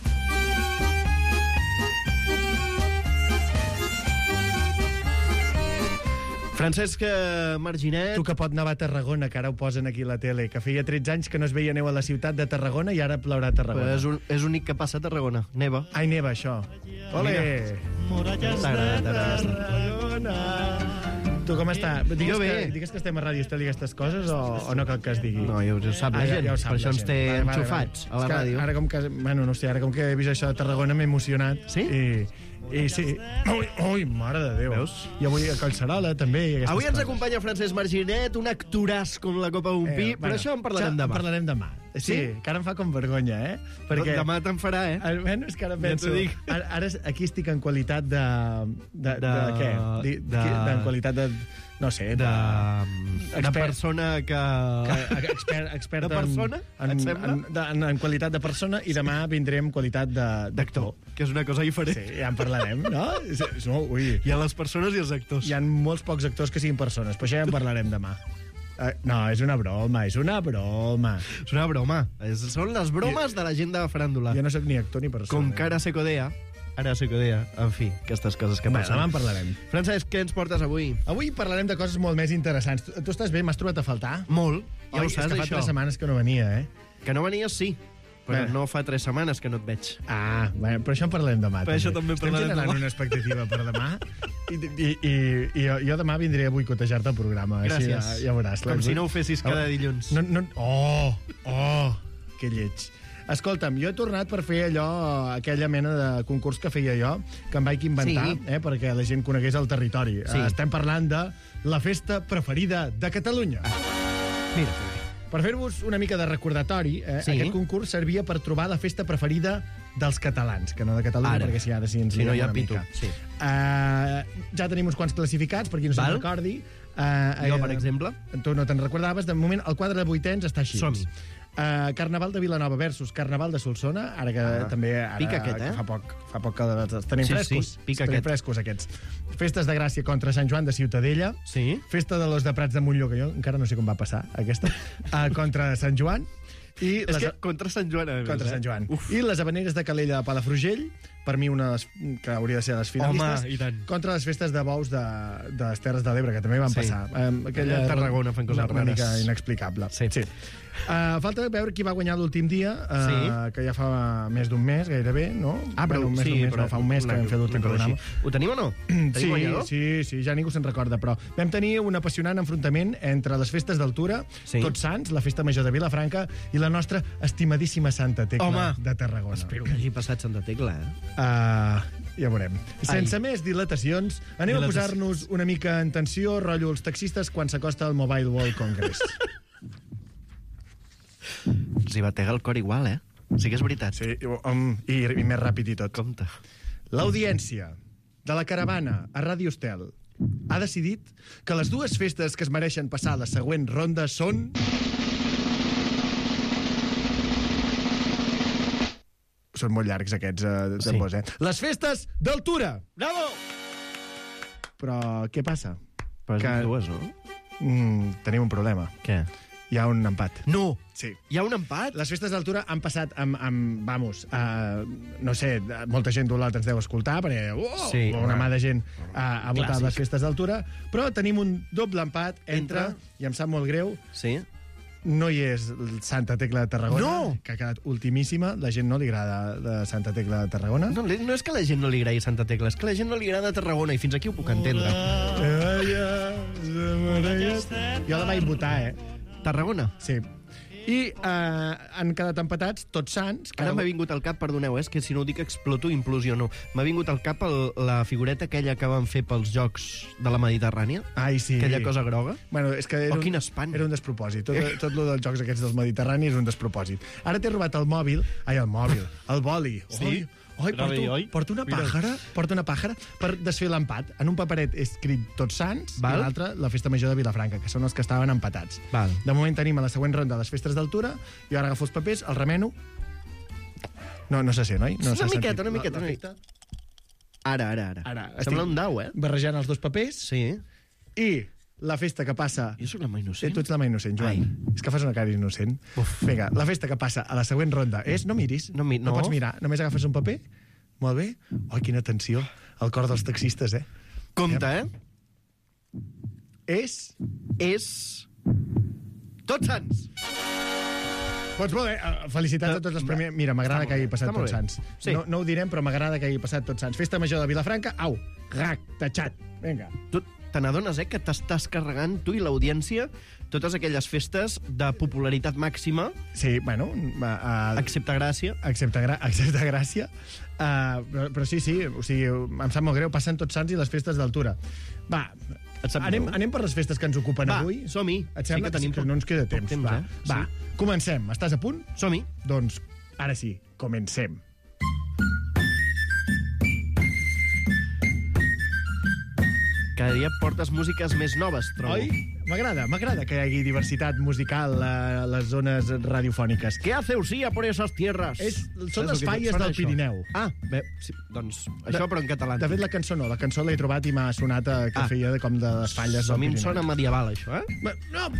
[SPEAKER 2] Francesc Marginet...
[SPEAKER 11] Tu que pot nevar a Tarragona, que ara ho posen aquí a la tele, que feia tretze anys que no es veia neu a la ciutat de Tarragona i ara plourà a Tarragona.
[SPEAKER 2] Però és, un, és únic que passa a Tarragona. Neva.
[SPEAKER 11] Ai, neva, això. Ole!
[SPEAKER 2] T'agrada, t'agrada.
[SPEAKER 11] Tu com està? Digues,
[SPEAKER 2] Jo bé.
[SPEAKER 11] que, digues que estem a Ràdio Estel i aquestes coses o, o no cal que es digui?
[SPEAKER 2] No, ja ho sap la
[SPEAKER 11] Ah, ja-
[SPEAKER 2] gent.
[SPEAKER 11] ja ho sap
[SPEAKER 2] Per
[SPEAKER 11] la
[SPEAKER 2] això ens
[SPEAKER 11] gent.
[SPEAKER 2] té
[SPEAKER 11] Vale, vale,
[SPEAKER 2] enxufats
[SPEAKER 11] vale.
[SPEAKER 2] a la
[SPEAKER 11] És que
[SPEAKER 2] ràdio.
[SPEAKER 11] Ara com que, bueno, no sé, ara com que he vist això de Tarragona m'he emocionat.
[SPEAKER 2] Sí?
[SPEAKER 11] I, i sí. Ui, ui, mare de Déu.
[SPEAKER 2] Veus?
[SPEAKER 11] I avui a Collserola també. I aquestes
[SPEAKER 2] Avui ens
[SPEAKER 11] coses.
[SPEAKER 2] acompanya Francesc Marginet, un actoràs com la Copa d'un Pi,
[SPEAKER 11] Eh,
[SPEAKER 2] però
[SPEAKER 11] bueno,
[SPEAKER 2] això en parlarem
[SPEAKER 11] això
[SPEAKER 2] demà.
[SPEAKER 11] En parlarem demà. Sí,
[SPEAKER 2] Sí?
[SPEAKER 11] que ara em fa com vergonya, eh? Perquè
[SPEAKER 2] Demà te'n farà, eh?
[SPEAKER 11] Al- Bueno, és que ara
[SPEAKER 2] Ja
[SPEAKER 11] penso...
[SPEAKER 2] t'ho dic.
[SPEAKER 11] Ara, ara aquí estic en qualitat de... De, de, de,
[SPEAKER 2] De-
[SPEAKER 11] què? Di, de,
[SPEAKER 2] de-
[SPEAKER 11] de, en qualitat de... No sé,
[SPEAKER 2] De,
[SPEAKER 11] de...
[SPEAKER 2] de
[SPEAKER 11] expert-
[SPEAKER 2] persona que...
[SPEAKER 11] que expert, expert
[SPEAKER 2] De persona,
[SPEAKER 11] en,
[SPEAKER 2] et
[SPEAKER 11] en,
[SPEAKER 2] sembla?
[SPEAKER 11] en, de, en, en qualitat de persona i demà vindré en qualitat de-
[SPEAKER 2] D'actor, que és una cosa diferent.
[SPEAKER 11] Sí, ja en parlarem, no? És, és, no ui.
[SPEAKER 2] Hi ha les persones i els actors.
[SPEAKER 11] Hi ha molts pocs actors que siguin persones, però això ja en parlarem demà. Uh, no, és una broma, és una broma.
[SPEAKER 2] És una broma. És, són les bromes de la gent de faràndula.
[SPEAKER 11] Jo no sóc ni actor ni persona.
[SPEAKER 2] Com que ara se codea, ara se codea. En fi, aquestes coses que
[SPEAKER 11] Bé,
[SPEAKER 2] passen.
[SPEAKER 11] demà en parlarem.
[SPEAKER 2] Francesc, què ens portes avui?
[SPEAKER 11] Avui parlarem de coses molt més interessants. Tu, tu estàs bé? M'has trobat a faltar?
[SPEAKER 2] Molt. Ja
[SPEAKER 11] Oi,
[SPEAKER 2] ho saps,
[SPEAKER 11] és que fa
[SPEAKER 2] això.
[SPEAKER 11] tres setmanes que no venia, eh?
[SPEAKER 2] Que no venies, sí. Però
[SPEAKER 11] Bé.
[SPEAKER 2] no fa tres setmanes que no et veig.
[SPEAKER 11] Ah, bueno, però això en parlarem demà.
[SPEAKER 2] Per això també
[SPEAKER 11] Estem
[SPEAKER 2] parlarem
[SPEAKER 11] generant
[SPEAKER 2] demà.
[SPEAKER 11] una expectativa per demà i, i, i, i jo, jo demà vindré a boicotejar-te el programa. Així
[SPEAKER 2] Gràcies.
[SPEAKER 11] ja, ja veuràs.
[SPEAKER 2] Com si no ho fessis cada dilluns.
[SPEAKER 11] No, no, oh, oh, que lleig. Escolta'm, jo he tornat per fer allò, aquella mena de concurs que feia jo, que em vaig inventar,
[SPEAKER 2] Sí.
[SPEAKER 11] eh, perquè la gent conegués el territori.
[SPEAKER 2] Sí.
[SPEAKER 11] Eh, estem parlant de la festa preferida de Catalunya.
[SPEAKER 2] Mira, que bé.
[SPEAKER 11] Per fer-vos una mica de recordatori, eh,
[SPEAKER 2] Sí.
[SPEAKER 11] aquest concurs servia per trobar la festa preferida dels catalans, que no de Catalunya,
[SPEAKER 2] Ara.
[SPEAKER 11] perquè si ha de si ens
[SPEAKER 2] Si no
[SPEAKER 11] liem
[SPEAKER 2] hi ha
[SPEAKER 11] una
[SPEAKER 2] pitu,
[SPEAKER 11] mica.
[SPEAKER 2] sí.
[SPEAKER 11] Uh, ja tenim uns quants classificats, per qui no se'n
[SPEAKER 2] Val.
[SPEAKER 11] recordi. Uh,
[SPEAKER 2] Jo, per exemple.
[SPEAKER 11] Tu no te'n recordaves. De moment, el quadre de vuitens està així.
[SPEAKER 2] Som-hi.
[SPEAKER 11] Uh, Carnaval de Vilanova versus Carnaval de Solsona, ara que
[SPEAKER 2] Ah,
[SPEAKER 11] també... Ara,
[SPEAKER 2] pica aquest, eh?
[SPEAKER 11] que Fa poc, fa poc que els tenim
[SPEAKER 2] Sí,
[SPEAKER 11] frescos.
[SPEAKER 2] sí, pica
[SPEAKER 11] tenim
[SPEAKER 2] aquest.
[SPEAKER 11] frescos, aquests. Festes de Gràcia contra Sant Joan de Ciutadella.
[SPEAKER 2] Sí.
[SPEAKER 11] Festa de los de Prats de Montlló, que jo encara no sé com va passar, aquesta, uh, contra Sant Joan. I
[SPEAKER 2] És
[SPEAKER 11] les,
[SPEAKER 2] que contra Sant Joan, a més,
[SPEAKER 11] contra
[SPEAKER 2] eh?
[SPEAKER 11] Sant Joan.
[SPEAKER 2] Uf.
[SPEAKER 11] I les Habaneres de Calella de Palafrugell, per mi una de les, que hauria de ser de les finalistes.
[SPEAKER 2] Home, i tant.
[SPEAKER 11] Contra les festes de bous de, de les Terres de l'Ebre, que també van
[SPEAKER 2] Sí.
[SPEAKER 11] passar. Um,
[SPEAKER 2] Allà a Tarragona fan coses
[SPEAKER 11] una, una mica
[SPEAKER 2] rares.
[SPEAKER 11] inexplicable.
[SPEAKER 2] Sí.
[SPEAKER 11] sí. Uh, falta veure qui va guanyar l'últim dia, uh,
[SPEAKER 2] Sí.
[SPEAKER 11] que ja fa més d'un mes, gairebé, no?
[SPEAKER 2] Ah, però
[SPEAKER 11] bueno, un mes,
[SPEAKER 2] sí,
[SPEAKER 11] un mes,
[SPEAKER 2] però
[SPEAKER 11] no, fa un mes que
[SPEAKER 2] una-
[SPEAKER 11] vam fer l'últim
[SPEAKER 2] una cosa
[SPEAKER 11] programa.
[SPEAKER 2] així. Ho tenim o no? Tenim
[SPEAKER 11] Sí,
[SPEAKER 2] guanyador?
[SPEAKER 11] sí, sí, ja ningú se'n recorda, però vam tenir un apassionant enfrontament entre les festes d'altura,
[SPEAKER 2] Sí.
[SPEAKER 11] Tots Sants, la festa major de Vilafranca, i la nostra estimadíssima Santa Tecla
[SPEAKER 2] Home.
[SPEAKER 11] de Tarragona.
[SPEAKER 2] Espero que hagi passat Santa Tecla, eh?
[SPEAKER 11] Uh, ja veurem. Sense
[SPEAKER 2] Ai.
[SPEAKER 11] més dilatacions, anem a
[SPEAKER 2] Dilatacions.
[SPEAKER 11] posar-nos una mica en tensió, rotllo els taxistes, quan s'acosta al Mobile World Congress.
[SPEAKER 2] Els hi batega el cor igual, eh? Sí que és veritat.
[SPEAKER 11] Sí, um, i, i més ràpid i tot.
[SPEAKER 2] Compte.
[SPEAKER 11] L'audiència de la caravana a Ràdio Estel ha decidit que les dues festes que es mereixen passar a la següent ronda són... Són molt llargs aquests eh, tambors, eh? Les festes d'altura!
[SPEAKER 2] Bravo!
[SPEAKER 11] però què passa?
[SPEAKER 2] Però
[SPEAKER 11] Que-
[SPEAKER 2] que... dues, no?
[SPEAKER 11] Mm, tenim un problema.
[SPEAKER 2] Què?
[SPEAKER 11] Hi ha un empat.
[SPEAKER 2] No!
[SPEAKER 11] Sí.
[SPEAKER 2] Hi ha un empat?
[SPEAKER 11] Les festes d'altura han passat amb, amb vamos, uh, no sé, molta gent d'Olot ens deu escoltar, perquè oh,
[SPEAKER 2] Sí,
[SPEAKER 11] una
[SPEAKER 2] home.
[SPEAKER 11] mà de gent uh, ha votat
[SPEAKER 2] Clàssic.
[SPEAKER 11] les festes d'altura, però tenim un doble empat entre,
[SPEAKER 2] Entre?
[SPEAKER 11] i em sap molt greu,
[SPEAKER 2] Sí.
[SPEAKER 11] no hi és Santa Tecla de Tarragona,
[SPEAKER 2] No!
[SPEAKER 11] que ha quedat ultimíssima, la gent no li agrada de Santa Tecla de Tarragona.
[SPEAKER 2] No, no és que a la gent no li agradi Santa Tecla, és que a la gent no li agrada Tarragona, i fins aquí ho puc entendre.
[SPEAKER 11] Jo la vaig votar, eh?
[SPEAKER 2] Tarragona?
[SPEAKER 11] Sí. I uh, han quedat empatats Tots Sants.
[SPEAKER 2] Ara m'ha vingut al cap, perdoneu, eh, és que si no ho dic exploto, implosiono. M'ha vingut al cap el, la figureta aquella que van fer pels Jocs de la Mediterrània.
[SPEAKER 11] Ai, sí.
[SPEAKER 2] Aquella cosa groga.
[SPEAKER 11] Bueno, és que era
[SPEAKER 2] Oh, quin
[SPEAKER 11] un,
[SPEAKER 2] espant.
[SPEAKER 11] era un despropòsit. Tot, tot lo dels jocs aquests dels Mediterranis és un despropòsit. Ara t'he robat el mòbil, ai, el mòbil, el boli.
[SPEAKER 2] Sí?
[SPEAKER 11] Oi,
[SPEAKER 2] Era bé,
[SPEAKER 11] porto,
[SPEAKER 2] oi?
[SPEAKER 11] porto una
[SPEAKER 2] Mira.
[SPEAKER 11] pàjara, porto una pàjara per desfer l'empat. En un paperet he escrit Tots Sants
[SPEAKER 2] Val.
[SPEAKER 11] i l'altre la Festa Major de Vilafranca, que són els que estaven empatats.
[SPEAKER 2] Val.
[SPEAKER 11] De moment tenim a la següent ronda les festes d'altura, i ara agafo els papers, el remeno... No, no se sent, oi? No
[SPEAKER 2] Una
[SPEAKER 11] s'ha
[SPEAKER 2] miqueta,
[SPEAKER 11] sentit
[SPEAKER 2] una miqueta,
[SPEAKER 11] la-
[SPEAKER 2] una
[SPEAKER 11] l'efecte.
[SPEAKER 2] Ara, ara, ara.
[SPEAKER 11] Ara,
[SPEAKER 2] Sembla
[SPEAKER 11] estic
[SPEAKER 2] un dau, eh?
[SPEAKER 11] barrejant els dos papers,
[SPEAKER 2] Sí.
[SPEAKER 11] i la festa que passa...
[SPEAKER 2] Jo sóc la mà
[SPEAKER 11] Sí,
[SPEAKER 2] innocent.
[SPEAKER 11] tu ets la mà innocent, Joan.
[SPEAKER 2] Ai.
[SPEAKER 11] És que fas una cara innocent.
[SPEAKER 2] Uf.
[SPEAKER 11] Vinga, la festa que passa a la següent ronda és... No miris,
[SPEAKER 2] No mi- no.
[SPEAKER 11] pots mirar. Només agafes un paper. Molt bé. Oh, quina tensió. El cor dels taxistes, eh?
[SPEAKER 2] Compte, eh?
[SPEAKER 11] És...
[SPEAKER 2] És... Tots Sants!
[SPEAKER 11] Doncs molt bé, eh, felicitats a tots els premiers. Mira, m'agrada
[SPEAKER 2] Està
[SPEAKER 11] que hagi
[SPEAKER 2] molt bé,
[SPEAKER 11] passat
[SPEAKER 2] està molt
[SPEAKER 11] Tots
[SPEAKER 2] bé.
[SPEAKER 11] Sants.
[SPEAKER 2] Sí.
[SPEAKER 11] No, no ho direm, però m'agrada que hagi passat Tots Sants. Festa Major de Vilafranca, au, rac, tachat. Vinga.
[SPEAKER 2] Tu te n'adones, eh, que t'estàs carregant, tu i l'audiència, totes aquelles festes de popularitat màxima,
[SPEAKER 11] Sí, bueno... Uh,
[SPEAKER 2] excepte Gràcia.
[SPEAKER 11] Excepte, gra excepte Gràcia. Uh, però, però sí, sí, o sigui, em sap molt greu, passen Tots Sants i les festes d'altura. Va,
[SPEAKER 2] Et sap
[SPEAKER 11] anem,
[SPEAKER 2] greu?
[SPEAKER 11] anem per les festes que ens ocupen
[SPEAKER 2] Va,
[SPEAKER 11] avui.
[SPEAKER 2] som-hi.
[SPEAKER 11] Et
[SPEAKER 2] Sí
[SPEAKER 11] sembla
[SPEAKER 2] que tenim
[SPEAKER 11] que
[SPEAKER 2] poc-
[SPEAKER 11] no ens queda
[SPEAKER 2] poc
[SPEAKER 11] temps?
[SPEAKER 2] temps,
[SPEAKER 11] va,
[SPEAKER 2] eh?
[SPEAKER 11] va,
[SPEAKER 2] Sí.
[SPEAKER 11] comencem. Estàs a punt?
[SPEAKER 2] Som-hi.
[SPEAKER 11] Doncs, ara sí, comencem.
[SPEAKER 2] Cada dia portes músiques més noves, trobo.
[SPEAKER 11] Oi? M'agrada, m'agrada que hi hagi diversitat musical a les zones radiofòniques.
[SPEAKER 2] ¿Qué hace Usía por esas tierras?
[SPEAKER 11] És, són
[SPEAKER 2] Saps
[SPEAKER 11] les
[SPEAKER 2] el que
[SPEAKER 11] falles
[SPEAKER 2] sona
[SPEAKER 11] del
[SPEAKER 2] això?
[SPEAKER 11] Pirineu.
[SPEAKER 2] Ah, bé, sí, doncs això, però en català.
[SPEAKER 11] De fet, la cançó no, la cançó l'he trobat i m'ha sonat a, que
[SPEAKER 2] Ah.
[SPEAKER 11] feia de, com de les falles
[SPEAKER 2] A
[SPEAKER 11] del
[SPEAKER 2] mi em
[SPEAKER 11] Pirineu.
[SPEAKER 2] sona medieval, això, eh?
[SPEAKER 11] No,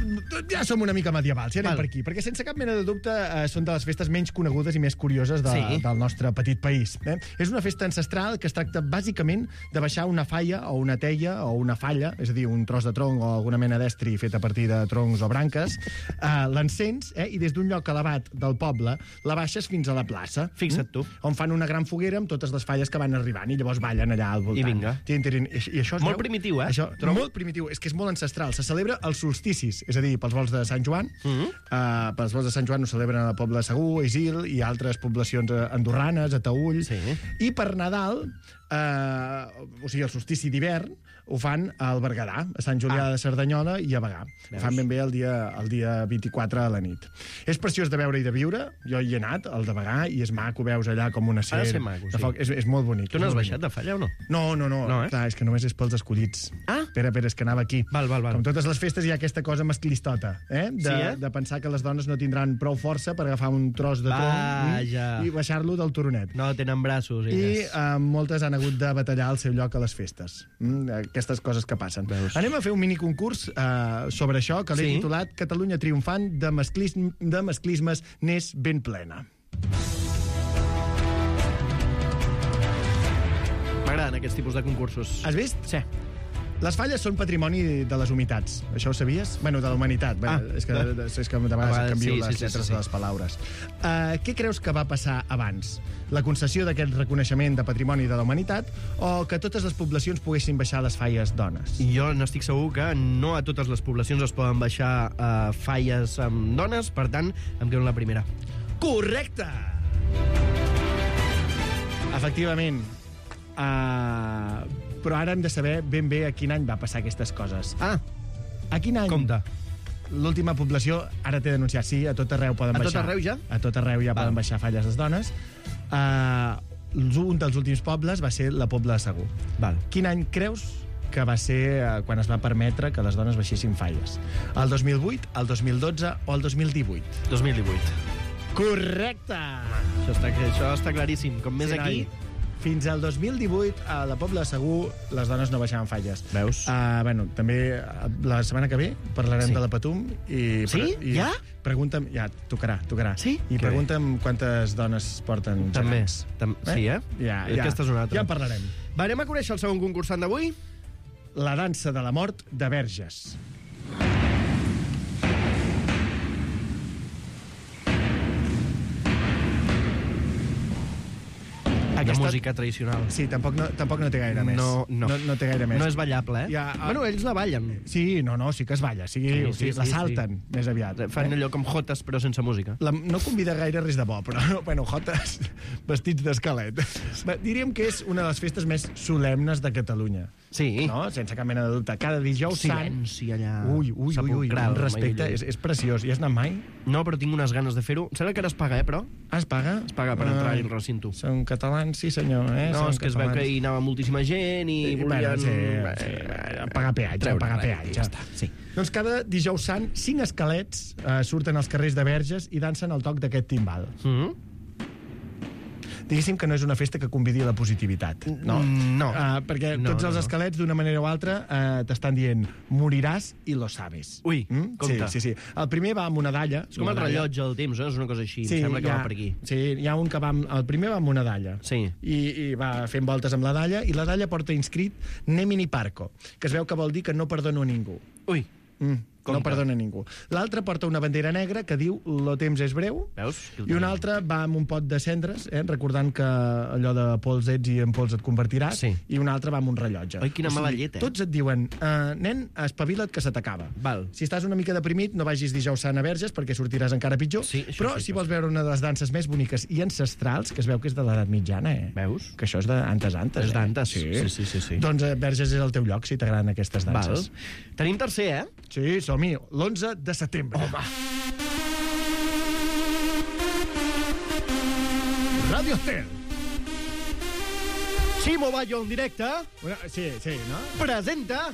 [SPEAKER 11] ja som una mica medievals, ja anem
[SPEAKER 2] Val.
[SPEAKER 11] per aquí, perquè sense cap mena de dubte eh, són de les festes menys conegudes i més curioses de,
[SPEAKER 2] Sí.
[SPEAKER 11] del nostre petit país. Eh? És una festa ancestral que es tracta bàsicament de baixar una falla o una teia o una falla, és a dir, un tros de tronc o alguna mena d'estri fet a partir de troncs o branques, eh, l'encens eh, i des d'un lloc elevat del poble la baixes fins a la plaça.
[SPEAKER 2] Fixa't tu.
[SPEAKER 11] On fan una gran foguera amb totes les falles que van arribant i llavors ballen allà al voltant.
[SPEAKER 2] I vinga.
[SPEAKER 11] Tin, tin, I, i això es
[SPEAKER 2] Molt
[SPEAKER 11] veu-
[SPEAKER 2] primitiu, eh?
[SPEAKER 11] Això,
[SPEAKER 2] Trobo.
[SPEAKER 11] molt primitiu, és que és molt ancestral. Se celebra als solsticis, és a dir, pels vols de Sant Joan.
[SPEAKER 2] Mhm.
[SPEAKER 11] Mm -hmm. uh, pels vols de Sant Joan ho celebren a la Pobla de Segur, a Isil i altres poblacions eh, andorranes, a Taüll.
[SPEAKER 2] Sí.
[SPEAKER 11] I per Nadal, uh, o sigui, el solstici d'hivern, ho fan al Berguedà, a Sant Julià
[SPEAKER 2] Ah.
[SPEAKER 11] de Cerdanyola i a Bagà. Ho
[SPEAKER 2] Veus?
[SPEAKER 11] fan ben bé el dia, el dia vint-i-quatre a la nit. És preciós de veure i de viure. Jo hi he anat, al de Bagà, i és maco, veus allà com una
[SPEAKER 2] Ha de
[SPEAKER 11] ser
[SPEAKER 2] ser maco,
[SPEAKER 11] de
[SPEAKER 2] sí.
[SPEAKER 11] foc. És, és molt bonic.
[SPEAKER 2] Tu
[SPEAKER 11] és
[SPEAKER 2] n'has
[SPEAKER 11] molt
[SPEAKER 2] baixat de falla o no?
[SPEAKER 11] no, no, no.
[SPEAKER 2] No, eh?
[SPEAKER 11] Clar, és que només és pels escollits.
[SPEAKER 2] Ah.
[SPEAKER 11] Espera, espera, és que anava aquí.
[SPEAKER 2] Val, val, val.
[SPEAKER 11] Com totes les festes hi ha aquesta cosa masclistota, eh? De,
[SPEAKER 2] Sí, eh?
[SPEAKER 11] de pensar que les dones no tindran prou força per agafar un tros de tronc
[SPEAKER 2] Vaja.
[SPEAKER 11] mm, i baixar-lo del turonet.
[SPEAKER 2] No tenen braços,
[SPEAKER 11] I
[SPEAKER 2] elles.
[SPEAKER 11] eh, moltes han hagut de batallar el seu lloc a les festes. Mm, aquestes coses que passen.
[SPEAKER 2] Veus?
[SPEAKER 11] Anem a fer un miniconcurs eh, sobre això, que l'he
[SPEAKER 2] Sí.
[SPEAKER 11] titulat Catalunya triomfant de, masclism, de masclismes n'és ben plena.
[SPEAKER 2] M'agraden aquests tipus de concursos.
[SPEAKER 11] Has vist?
[SPEAKER 2] Sí.
[SPEAKER 11] Les falles són patrimoni de les humitats. Això ho sabies? Bueno, de la humanitat.
[SPEAKER 2] Ah.
[SPEAKER 11] Bé, és, que, és que de vegades
[SPEAKER 2] vegades
[SPEAKER 11] canvio
[SPEAKER 2] sí,
[SPEAKER 11] les
[SPEAKER 2] sí, sí,
[SPEAKER 11] lletres
[SPEAKER 2] sí, sí.
[SPEAKER 11] de les paraules. Uh, què creus que va passar abans? La concessió d'aquest reconeixement de patrimoni de la humanitat o que totes les poblacions poguessin baixar les falles dones?
[SPEAKER 2] I jo n'estic segur que no a totes les poblacions es poden baixar uh, falles amb dones, per tant, em quedo en la primera.
[SPEAKER 11] Correcte! Efectivament. Uh, però ara hem de saber ben bé a quin any va passar aquestes coses.
[SPEAKER 2] Ah,
[SPEAKER 11] A quin any?
[SPEAKER 2] compte.
[SPEAKER 11] L'última població, ara t'he denunciat, sí, a tot arreu poden
[SPEAKER 2] A tot
[SPEAKER 11] baixar.
[SPEAKER 2] arreu ja?
[SPEAKER 11] A tot arreu ja
[SPEAKER 2] Val.
[SPEAKER 11] poden baixar falles les dones. Uh, un dels últims pobles va ser la Pobla de Segur.
[SPEAKER 2] Val.
[SPEAKER 11] Quin any creus que va ser uh, quan es va permetre que les dones baixessin falles? El dos mil vuit, el dos mil dotze o el dos mil divuit?
[SPEAKER 2] dos mil divuit.
[SPEAKER 11] Correcte!
[SPEAKER 2] Això està, això està claríssim. Com més
[SPEAKER 11] Sí,
[SPEAKER 2] aquí,
[SPEAKER 11] noi. fins al dos mil divuit, a la Pobla de Segur, les dones no baixaven falles.
[SPEAKER 2] Veus?
[SPEAKER 11] Uh, bueno, també la setmana que ve parlarem
[SPEAKER 2] Sí.
[SPEAKER 11] de la Patum. I,
[SPEAKER 2] Sí?
[SPEAKER 11] I
[SPEAKER 2] Ja?
[SPEAKER 11] Pregunta'm... Ja, tocarà, tocarà.
[SPEAKER 2] Sí?
[SPEAKER 11] I
[SPEAKER 2] Que
[SPEAKER 11] pregunta'm quantes dones porten
[SPEAKER 2] També.
[SPEAKER 11] gegants.
[SPEAKER 2] Tam sí, eh?
[SPEAKER 11] Ja, ja.
[SPEAKER 2] Aquesta és una altra.
[SPEAKER 11] Ja en parlarem.
[SPEAKER 2] Va, anem a conèixer el segon concursant d'avui?
[SPEAKER 11] La dansa de la mort de Verges.
[SPEAKER 2] Aquesta... De música tradicional.
[SPEAKER 11] Sí, tampoc no, tampoc no té gaire més.
[SPEAKER 2] No, no.
[SPEAKER 11] no, no té gaire més.
[SPEAKER 2] No és ballable, eh?
[SPEAKER 11] Ja,
[SPEAKER 2] Bueno, ells la ballen.
[SPEAKER 11] Sí, no, no, sí que es balla. Sí, sí, sí, la salten, sí. més aviat.
[SPEAKER 2] Fan allò com jotes, però sense música.
[SPEAKER 11] La, no convida gaire res de bo, però, bueno, jotes vestits d'esquelet. Diríem que és una de les festes més solemnes de Catalunya.
[SPEAKER 2] Sí.
[SPEAKER 11] No? Sense cap mena de dubte. Cada dijous sant...
[SPEAKER 2] Silenci allà.
[SPEAKER 11] Ui, ui, ui, ui, un respecte. És, és preciós. Hi has anat mai?
[SPEAKER 2] No, però tinc unes ganes de fer-ho. Em sembla que ara es paga, eh, però?
[SPEAKER 11] Ah, es paga?
[SPEAKER 2] Es paga per entrar al recinto.
[SPEAKER 11] Són catalans, sí senyor. Eh?
[SPEAKER 2] No,
[SPEAKER 11] Són
[SPEAKER 2] és que es veu que hi anava moltíssima gent i
[SPEAKER 11] Sí,
[SPEAKER 2] volien...
[SPEAKER 11] bueno, sí, sí, pagar peatge,
[SPEAKER 2] treure
[SPEAKER 11] pagar
[SPEAKER 2] res,
[SPEAKER 11] peatge.
[SPEAKER 2] ja està, sí.
[SPEAKER 11] Doncs cada dijous sant, cinc esquelets eh, surten als carrers de Verges i dansen al toc d'aquest timbal.
[SPEAKER 2] Mm-hmm.
[SPEAKER 11] Diguéssim que no és una festa que convidi a la positivitat, no?
[SPEAKER 2] No.
[SPEAKER 11] Uh, perquè
[SPEAKER 2] No,
[SPEAKER 11] tots
[SPEAKER 2] no,
[SPEAKER 11] els
[SPEAKER 2] no.
[SPEAKER 11] esquelets, d'una manera o altra, uh, t'estan dient moriràs i lo sabes.
[SPEAKER 2] Ui,
[SPEAKER 11] Mm?
[SPEAKER 2] compte.
[SPEAKER 11] Sí, sí, sí. El primer va amb una dalla.
[SPEAKER 2] És com el rellotge del temps, eh? És una cosa així.
[SPEAKER 11] Sí,
[SPEAKER 2] Em sembla que
[SPEAKER 11] hi ha,
[SPEAKER 2] va per aquí.
[SPEAKER 11] Sí, hi ha un que va amb, el primer va amb una dalla.
[SPEAKER 2] Sí.
[SPEAKER 11] I, i va fent voltes amb la dalla, i la dalla porta inscrit Nemini Parco, que es veu que vol dir que no perdono a ningú.
[SPEAKER 2] Ui.
[SPEAKER 11] Mm, no
[SPEAKER 2] Compte.
[SPEAKER 11] perdona ningú. L'altre porta una bandera negra que diu lo temps és breu.
[SPEAKER 2] Veus?
[SPEAKER 11] I un altre va amb un pot de cendres, eh, recordant que allò de pols ets i en pols et convertiràs,
[SPEAKER 2] Sí.
[SPEAKER 11] i un altre va amb un rellotge.
[SPEAKER 2] Ai, quina mala llet, eh?
[SPEAKER 11] Tots et diuen, uh, nen, espavila't que se t'acaba.
[SPEAKER 2] Val.
[SPEAKER 11] Si estàs una mica deprimit, no vagis dijous sant a Verges perquè sortiràs encara pitjor.
[SPEAKER 2] Sí, això
[SPEAKER 11] Però
[SPEAKER 2] sí
[SPEAKER 11] si
[SPEAKER 2] que
[SPEAKER 11] vols veure una de les danses més boniques i ancestrals, que es veu que és de l'edat mitjana, eh?
[SPEAKER 2] Veus?
[SPEAKER 11] Que això és d'antes, antes.
[SPEAKER 2] És d'antes.
[SPEAKER 11] Eh?
[SPEAKER 2] Sí, sí, sí, sí.
[SPEAKER 11] Doncs eh, Verges és el teu lloc, si t'agraden aquestes
[SPEAKER 2] Val.
[SPEAKER 11] danses.
[SPEAKER 2] Tenim tercer, eh?
[SPEAKER 11] Sí, som-hi. L'onze de setembre. Home. Radio Estel.
[SPEAKER 2] Ximo Bayo en directe
[SPEAKER 11] Una, sí, sí, no?
[SPEAKER 2] presenta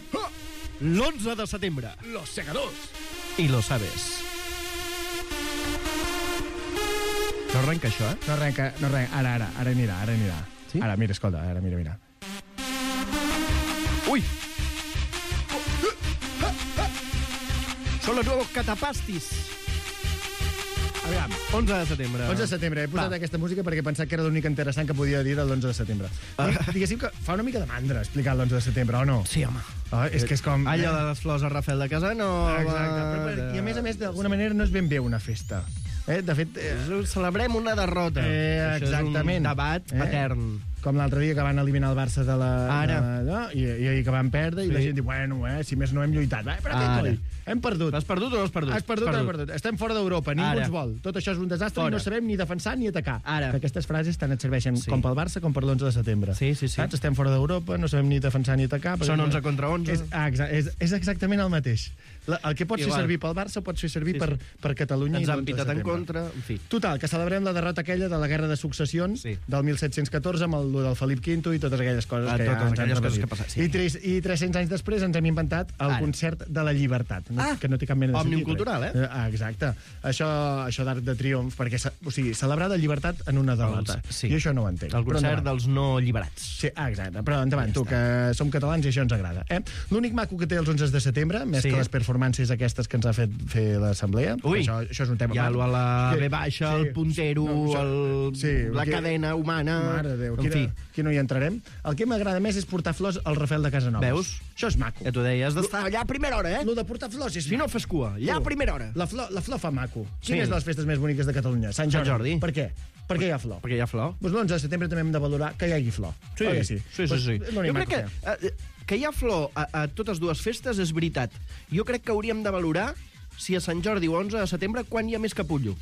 [SPEAKER 2] l'onze de setembre.
[SPEAKER 11] Los Segadors.
[SPEAKER 2] I lo sabes. No arrenca això, eh?
[SPEAKER 11] No arrenca, no arrenca. Ara, ara, ara anirà, ara anirà.
[SPEAKER 2] Sí?
[SPEAKER 11] Ara, mira, escolta, ara, mira, mira.
[SPEAKER 2] Ui! Són los nuevos catapastis.
[SPEAKER 11] Aviam.
[SPEAKER 2] onze de setembre.
[SPEAKER 11] onze de setembre. He posat
[SPEAKER 2] Va.
[SPEAKER 11] aquesta música perquè he pensat que era l'únic interessant que podia dir de l'onze de setembre.
[SPEAKER 2] Ah.
[SPEAKER 11] Diguéssim que fa una mica de mandra explicar l'onze de setembre, o no?
[SPEAKER 2] Sí, home.
[SPEAKER 11] Oh, és que és com...
[SPEAKER 2] Allò de les flors a Rafael de Casanova...
[SPEAKER 11] Exacte. Però, però, I a més a més, d'alguna manera, no és ben bé una festa. Eh? De fet... Eh,
[SPEAKER 2] Celebrem una derrota.
[SPEAKER 11] Eh,
[SPEAKER 2] Això
[SPEAKER 11] exactament.
[SPEAKER 2] és un debat
[SPEAKER 11] Eh?
[SPEAKER 2] patern.
[SPEAKER 11] Com l'altre dia que van eliminar el Barça de la...
[SPEAKER 2] Ara.
[SPEAKER 11] De, no? I, I que van perdre, i
[SPEAKER 2] Sí.
[SPEAKER 11] la gent diu, bueno, eh, si més no hem lluitat. Eh, però què
[SPEAKER 2] Ara.
[SPEAKER 11] coi? Hem perdut.
[SPEAKER 2] Has perdut o no has perdut?
[SPEAKER 11] Has perdut,
[SPEAKER 2] Has
[SPEAKER 11] o no has perdut. Estem fora d'Europa, ningú
[SPEAKER 2] Ara.
[SPEAKER 11] ens vol. Tot això és un desastre
[SPEAKER 2] Fora.
[SPEAKER 11] i no sabem ni defensar ni atacar.
[SPEAKER 2] Ara.
[SPEAKER 11] Que aquestes frases tant et serveixen
[SPEAKER 2] Sí.
[SPEAKER 11] com pel Barça com per l'onze de setembre.
[SPEAKER 2] Sí, sí, sí.
[SPEAKER 11] Saps? Estem fora d'Europa, no sabem ni defensar ni atacar.
[SPEAKER 2] Són onze contra onze.
[SPEAKER 11] És, ah, exa és, és exactament el mateix. La, el que pots
[SPEAKER 2] Igual.
[SPEAKER 11] fer servir pel Barça pots fer servir
[SPEAKER 2] Sí,
[SPEAKER 11] per,
[SPEAKER 2] sí.
[SPEAKER 11] per Catalunya
[SPEAKER 2] Ens
[SPEAKER 11] i
[SPEAKER 2] han
[SPEAKER 11] l'onze de
[SPEAKER 2] pitat en
[SPEAKER 11] setembre.
[SPEAKER 2] contra, en fi.
[SPEAKER 11] Total, que celebrem la derrota aquella de la Guerra de Successions
[SPEAKER 2] Sí.
[SPEAKER 11] del mil set-cents catorze amb el del Felip quinto i totes aquelles coses
[SPEAKER 2] Ah,
[SPEAKER 11] que
[SPEAKER 2] totes
[SPEAKER 11] ja ens han
[SPEAKER 2] aquelles coses
[SPEAKER 11] repetit.
[SPEAKER 2] que passen, sí.
[SPEAKER 11] I, tres, I tres-cents anys després ens hem inventat el
[SPEAKER 2] Ara.
[SPEAKER 11] concert de la llibertat, no?
[SPEAKER 2] Ah,
[SPEAKER 11] que no té cap mena de
[SPEAKER 2] Òmnium
[SPEAKER 11] sentit.
[SPEAKER 2] cultural, eh?
[SPEAKER 11] Ah, exacte. Això, això d'Arc de Triomf, perquè, o sigui, celebrar la llibertat en una derrota.
[SPEAKER 2] Els- sí.
[SPEAKER 11] Jo això no ho entenc.
[SPEAKER 2] El
[SPEAKER 11] Però
[SPEAKER 2] concert
[SPEAKER 11] endavant.
[SPEAKER 2] dels no alliberats.
[SPEAKER 11] Sí, ah, exacte. Però endavant,
[SPEAKER 2] Ja
[SPEAKER 11] tu,
[SPEAKER 2] està.
[SPEAKER 11] que som catalans i això ens agrada. Eh? L'únic maco que té els onze de setembre, més
[SPEAKER 2] Sí.
[SPEAKER 11] que les performances aquestes que ens ha fet fer l'assemblea,
[SPEAKER 2] Ui.
[SPEAKER 11] això, això és un tema...
[SPEAKER 2] Ja, a la
[SPEAKER 11] Que-
[SPEAKER 2] B baixa,
[SPEAKER 11] sí.
[SPEAKER 2] el puntero,
[SPEAKER 11] No, això-
[SPEAKER 2] el,
[SPEAKER 11] sí,
[SPEAKER 2] la
[SPEAKER 11] que-
[SPEAKER 2] cadena humana...
[SPEAKER 11] Mare de Déu,
[SPEAKER 2] en
[SPEAKER 11] aquí,
[SPEAKER 2] fi.
[SPEAKER 11] no, aquí no hi entrarem. El que m'agrada més és portar flors al Rafael de Casanovas.
[SPEAKER 2] Veus?
[SPEAKER 11] Això és maco.
[SPEAKER 2] Ja t'ho deia, has d'estar allà a primera hora, eh?
[SPEAKER 11] Lo de portar flors és
[SPEAKER 2] Si no
[SPEAKER 11] maco.
[SPEAKER 2] fes cua, allà a
[SPEAKER 11] Tu,
[SPEAKER 2] primera hora.
[SPEAKER 11] La flor, la flor fa maco.
[SPEAKER 2] Sí.
[SPEAKER 11] Quina és de les festes més boniques de Catalunya? Sant Jordi.
[SPEAKER 2] Sant Jordi.
[SPEAKER 11] Per què? Perquè hi ha flor.
[SPEAKER 2] Perquè hi ha flor.
[SPEAKER 11] Doncs l'onze de setembre també hem de valorar que hi hagi flor.
[SPEAKER 2] Sí,
[SPEAKER 11] Oi que sí?
[SPEAKER 2] sí, sí.
[SPEAKER 11] Doncs
[SPEAKER 2] sí.
[SPEAKER 11] és l'únic
[SPEAKER 2] Jo crec
[SPEAKER 11] maco
[SPEAKER 2] que,
[SPEAKER 11] hi ha.
[SPEAKER 2] eh, que hi ha flor a, a totes dues festes és veritat. Jo crec que hauríem de valorar si a Sant Jordi o onze de setembre quan hi ha més capullo.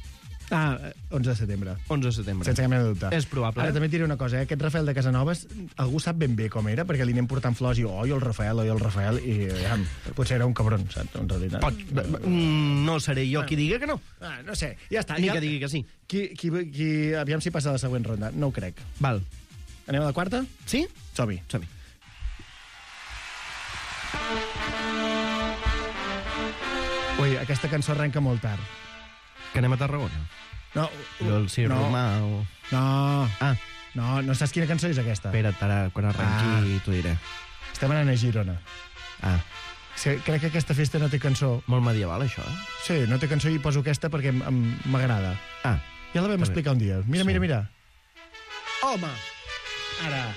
[SPEAKER 11] Ah, eh, onze de setembre.
[SPEAKER 2] onze de setembre.
[SPEAKER 11] Sense cap mena de dubte.
[SPEAKER 2] És probable.
[SPEAKER 11] Ara
[SPEAKER 2] eh?
[SPEAKER 11] també et diré una cosa, eh? Aquest Rafael de Casanovas, algú sap ben bé com era, perquè li anem portant flors i oi el Rafael, oi el Rafael, i ja, potser era un cabron, saps, en realitat.
[SPEAKER 2] Pot, mm, no seré jo qui diga que no.
[SPEAKER 11] Ah, no sé, ja està.
[SPEAKER 2] Ni
[SPEAKER 11] ja...
[SPEAKER 2] que digui que sí.
[SPEAKER 11] Qui, qui, qui, aviam si passa a la següent ronda. No ho crec.
[SPEAKER 2] Val.
[SPEAKER 11] Anem a la quarta?
[SPEAKER 2] Sí?
[SPEAKER 11] Som-hi.
[SPEAKER 2] Som-hi.
[SPEAKER 11] Ui, aquesta cançó arrenca molt tard.
[SPEAKER 2] Que anem a Tarragona.
[SPEAKER 11] No,
[SPEAKER 2] Allò el Cir
[SPEAKER 11] no,
[SPEAKER 2] Romà o...
[SPEAKER 11] no,
[SPEAKER 2] Ah,
[SPEAKER 11] No, no saps quina cançó és aquesta?
[SPEAKER 2] Espera't, ara, quan arrenqui
[SPEAKER 11] Ah.
[SPEAKER 2] t'ho diré.
[SPEAKER 11] Estem anant a Girona.
[SPEAKER 2] Ah,
[SPEAKER 11] Sí, crec que aquesta festa no té cançó.
[SPEAKER 2] molt medieval, això, eh?
[SPEAKER 11] Sí, no té cançó i poso aquesta perquè em- em- m'agrada.
[SPEAKER 2] Ah,
[SPEAKER 11] Ja la vam
[SPEAKER 2] Està bé.
[SPEAKER 11] explicar un dia. Mira,
[SPEAKER 2] Sí.
[SPEAKER 11] mira, mira.
[SPEAKER 2] home! Ara.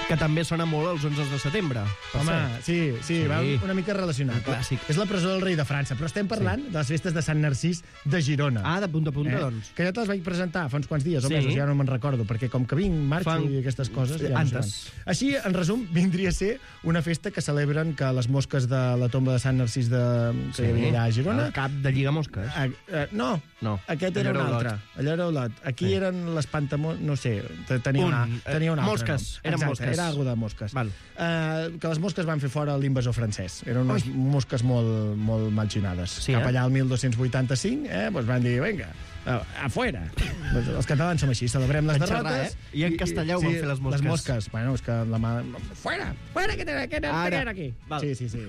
[SPEAKER 2] Que també sona molt els onze de setembre. per
[SPEAKER 11] Home,
[SPEAKER 2] cert.
[SPEAKER 11] sí, sí,
[SPEAKER 2] Sí.
[SPEAKER 11] va una mica relacionat.
[SPEAKER 2] Un clàssic.
[SPEAKER 11] És la presó del rei de França, però estem parlant de les festes de Sant Narcís de Girona.
[SPEAKER 2] Ah, de punta a punta, doncs.
[SPEAKER 11] Que ja te les vaig presentar fa uns quants dies, o
[SPEAKER 2] Sí.
[SPEAKER 11] mesos, ja no me'n recordo, perquè com que vinc, marxo
[SPEAKER 2] Fan-
[SPEAKER 11] i aquestes coses... Ja no
[SPEAKER 2] Antes.
[SPEAKER 11] sé quan. Així, en resum, vindria a ser una festa que celebren que les mosques de la tomba de Sant Narcís de... que hi havia allà a Girona...
[SPEAKER 2] El cap de lligamosques.
[SPEAKER 11] A, a, no,
[SPEAKER 2] No.
[SPEAKER 11] aquest
[SPEAKER 2] Allò
[SPEAKER 11] era un
[SPEAKER 2] era Olot.
[SPEAKER 11] altre. Allò era Olot. Aquí
[SPEAKER 2] Sí.
[SPEAKER 11] eren les pantamó... No sé, te- tenia,
[SPEAKER 2] Un,
[SPEAKER 11] una,
[SPEAKER 2] eh,
[SPEAKER 11] tenia un altre
[SPEAKER 2] mosques,
[SPEAKER 11] nom.
[SPEAKER 2] eren
[SPEAKER 11] Exacte,
[SPEAKER 2] mosques.
[SPEAKER 11] Era algo de mosques.
[SPEAKER 2] Val.
[SPEAKER 11] Uh, que les mosques van fer fora l'invasor francès. Eren unes Oi. mosques molt, molt malxinades.
[SPEAKER 2] Sí,
[SPEAKER 11] Cap
[SPEAKER 2] eh?
[SPEAKER 11] allà al dotze vuitanta-cinc, eh, doncs van dir, vinga, uh, afuera. Doncs els catalans som així, celebrem les
[SPEAKER 2] En
[SPEAKER 11] derrotes.
[SPEAKER 2] xerrar, eh? I en castellà ho van fer les mosques.
[SPEAKER 11] Les mosques. Bueno, és que la mà... Fuera! Fuera, que tenen, que tenen,
[SPEAKER 2] Ara.
[SPEAKER 11] que tenen aquí.
[SPEAKER 2] Val.
[SPEAKER 11] Sí, sí, sí.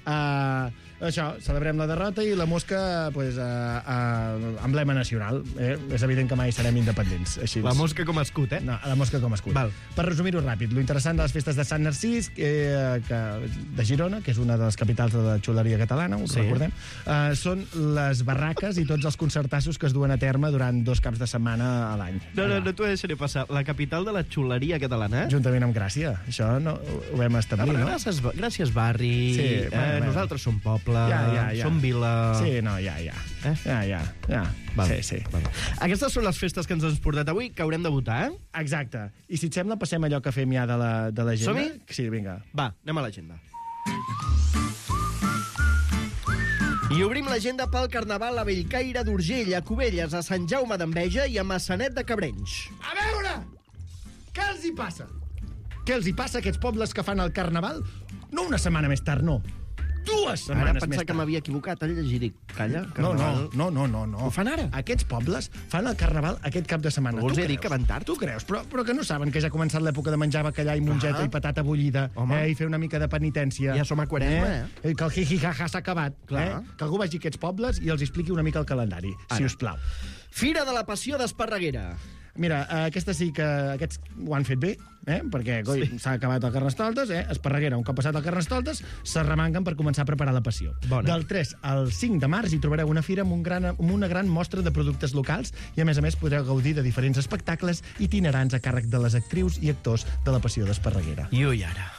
[SPEAKER 11] Uh, això, celebrem la derrota i la mosca, pues, uh, uh, emblema nacional. Eh? És evident que mai serem independents. Així.
[SPEAKER 2] La mosca com a escut, eh?
[SPEAKER 11] No, la mosca com a escut.
[SPEAKER 2] Val.
[SPEAKER 11] Per resumir-ho ràpid, lo interessant de les festes de Sant Narcís, eh, que, de Girona, que és una de les capitals de la xuleria catalana, ho
[SPEAKER 2] Sí.
[SPEAKER 11] recordem, eh, són les barraques i tots els concertassos que es duen a terme durant dos caps de setmana a l'any.
[SPEAKER 2] No, no,
[SPEAKER 11] Allà.
[SPEAKER 2] no t'ho deixaré passar. La capital de la xuleria catalana, eh?
[SPEAKER 11] Juntament amb Gràcia. Això no, ho vam establir, no?
[SPEAKER 2] Gràcies, gràcies barri.
[SPEAKER 11] Sí,
[SPEAKER 2] eh,
[SPEAKER 11] bueno, bueno.
[SPEAKER 2] Nosaltres som poble,
[SPEAKER 11] Ja, ja, ja.
[SPEAKER 2] som vila...
[SPEAKER 11] Sí, no, ja, ja.
[SPEAKER 2] Eh?
[SPEAKER 11] Ja, ja, ja.
[SPEAKER 2] Val.
[SPEAKER 11] Sí, sí.
[SPEAKER 2] Val. Aquestes són les festes que ens has portat avui, que haurem de votar, eh?
[SPEAKER 11] Exacte. I si et sembla, passem allò que fem ja de la, de l'agenda?
[SPEAKER 2] Som-hi?
[SPEAKER 11] Sí, vinga.
[SPEAKER 2] Va, anem a l'agenda. I obrim l'agenda pel Carnaval a Bellcaire d'Urgell, a Cubelles, a Sant Jaume d'Enveja i a Massanet de Cabrenys.
[SPEAKER 11] A veure! Què els hi passa? Què els hi passa a aquests pobles que fan el Carnaval? No una setmana més tard, no. Dues setmanes
[SPEAKER 2] Ara
[SPEAKER 11] més
[SPEAKER 2] pensar
[SPEAKER 11] tard.
[SPEAKER 2] que m'havia equivocat al llegir. Dic, calla,
[SPEAKER 11] No,
[SPEAKER 2] Carnaval...
[SPEAKER 11] no, no, no, no.
[SPEAKER 2] Ho fan ara?
[SPEAKER 11] Aquests pobles fan el Carnaval aquest cap de setmana.
[SPEAKER 2] Vols
[SPEAKER 11] Tu
[SPEAKER 2] dir
[SPEAKER 11] creus?
[SPEAKER 2] que van tard?
[SPEAKER 11] Tu creus, però, però que no saben que ja ha començat l'època de menjar bacallà i mongeta
[SPEAKER 2] Clar.
[SPEAKER 11] i patata bullida,
[SPEAKER 2] Home.
[SPEAKER 11] eh, i fer una mica de penitència.
[SPEAKER 2] Ja som a quaresma,
[SPEAKER 11] eh? Que el hi-hi-ha-ha s'ha acabat.
[SPEAKER 2] Clar.
[SPEAKER 11] Eh? Que algú vagi a aquests pobles i els expliqui una mica el calendari,
[SPEAKER 2] Ara.
[SPEAKER 11] si us plau.
[SPEAKER 2] Fira de la Passió d'Esparreguera.
[SPEAKER 11] Mira, eh, aquesta sí que aquests ho han fet bé, eh? perquè coi,
[SPEAKER 2] Sí.
[SPEAKER 11] s'ha acabat el Carnestoltes, eh? Esparreguera, un cop passat el Carnestoltes, s'arremanguen per començar a preparar la passió.
[SPEAKER 2] Bona.
[SPEAKER 11] Del tres al cinc de març hi trobareu una fira amb, un gran, amb una gran mostra de productes locals i, a més a més, podreu gaudir de diferents espectacles itinerants a càrrec de les actrius i actors de la passió d'Esparreguera.
[SPEAKER 2] I ui, ara.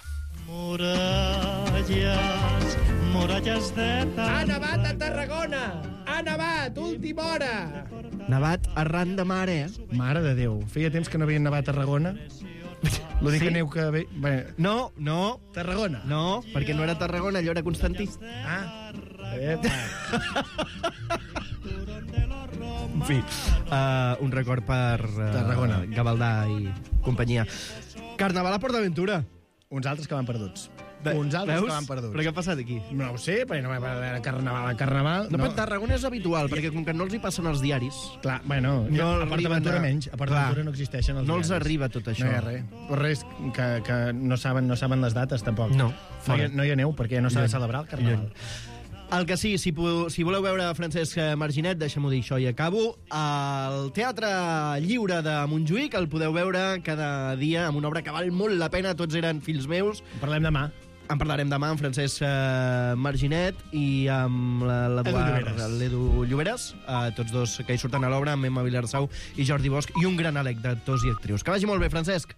[SPEAKER 12] Muralles, muralles de...
[SPEAKER 11] Ha nevat a Tarragona! Ha nevat! Última hora!
[SPEAKER 2] Nevat arran de mar, eh?
[SPEAKER 11] Mare de Déu, feia temps que no havien nevat a Tarragona. Lo dic
[SPEAKER 2] Sí?
[SPEAKER 11] que neu que... Ve... Bé,
[SPEAKER 2] No, no,
[SPEAKER 11] Tarragona.
[SPEAKER 2] no, perquè no era Tarragona, allò era Constantí.
[SPEAKER 11] Ah, epa.
[SPEAKER 2] En fi, uh, un record per uh,
[SPEAKER 11] Tarragona.
[SPEAKER 2] Gavaldà i companyia. Carnaval a PortAventura.
[SPEAKER 11] Uns altres que van perduts.
[SPEAKER 2] Ve-
[SPEAKER 11] Uns altres
[SPEAKER 2] veus?
[SPEAKER 11] que van perduts.
[SPEAKER 2] Però què ha passat aquí?
[SPEAKER 11] No ho sé, perquè no va haver carnaval a carnaval.
[SPEAKER 2] No, no. Però Tarragona és habitual, perquè com que no els hi passen els diaris,
[SPEAKER 11] Clar, bueno,
[SPEAKER 2] No
[SPEAKER 11] a
[SPEAKER 2] arriben
[SPEAKER 11] PortAventura
[SPEAKER 2] a-
[SPEAKER 11] menys. A PortAventura
[SPEAKER 2] Clar.
[SPEAKER 11] no existeixen els
[SPEAKER 2] no els
[SPEAKER 11] diaris.
[SPEAKER 2] arriba tot això.
[SPEAKER 11] No hi ha res. Però res, que, que no, saben, no saben les dates, tampoc.
[SPEAKER 2] No,
[SPEAKER 11] no, hi,
[SPEAKER 2] fora.
[SPEAKER 11] ha- no hi ha neu, perquè no s'ha de
[SPEAKER 2] Lluny.
[SPEAKER 11] celebrar el carnaval.
[SPEAKER 2] Lluny. El que sí, si, pu- si voleu veure Francesc Marginet, deixem-ho dir això i acabo, al Teatre Lliure de Montjuïc el podeu veure cada dia amb una obra que val molt la pena, tots eren fills meus.
[SPEAKER 11] Parlem demà.
[SPEAKER 2] En parlarem demà amb Francesc eh, Marginet i amb la- l'Eduard
[SPEAKER 11] Lloberes.
[SPEAKER 2] l'Edu Lloberes, eh, tots dos que hi surten a l'obra, amb Emma Vilarsau i Jordi Bosch, i un gran elec d'actors i actrius. Que vagi molt bé, Francesc.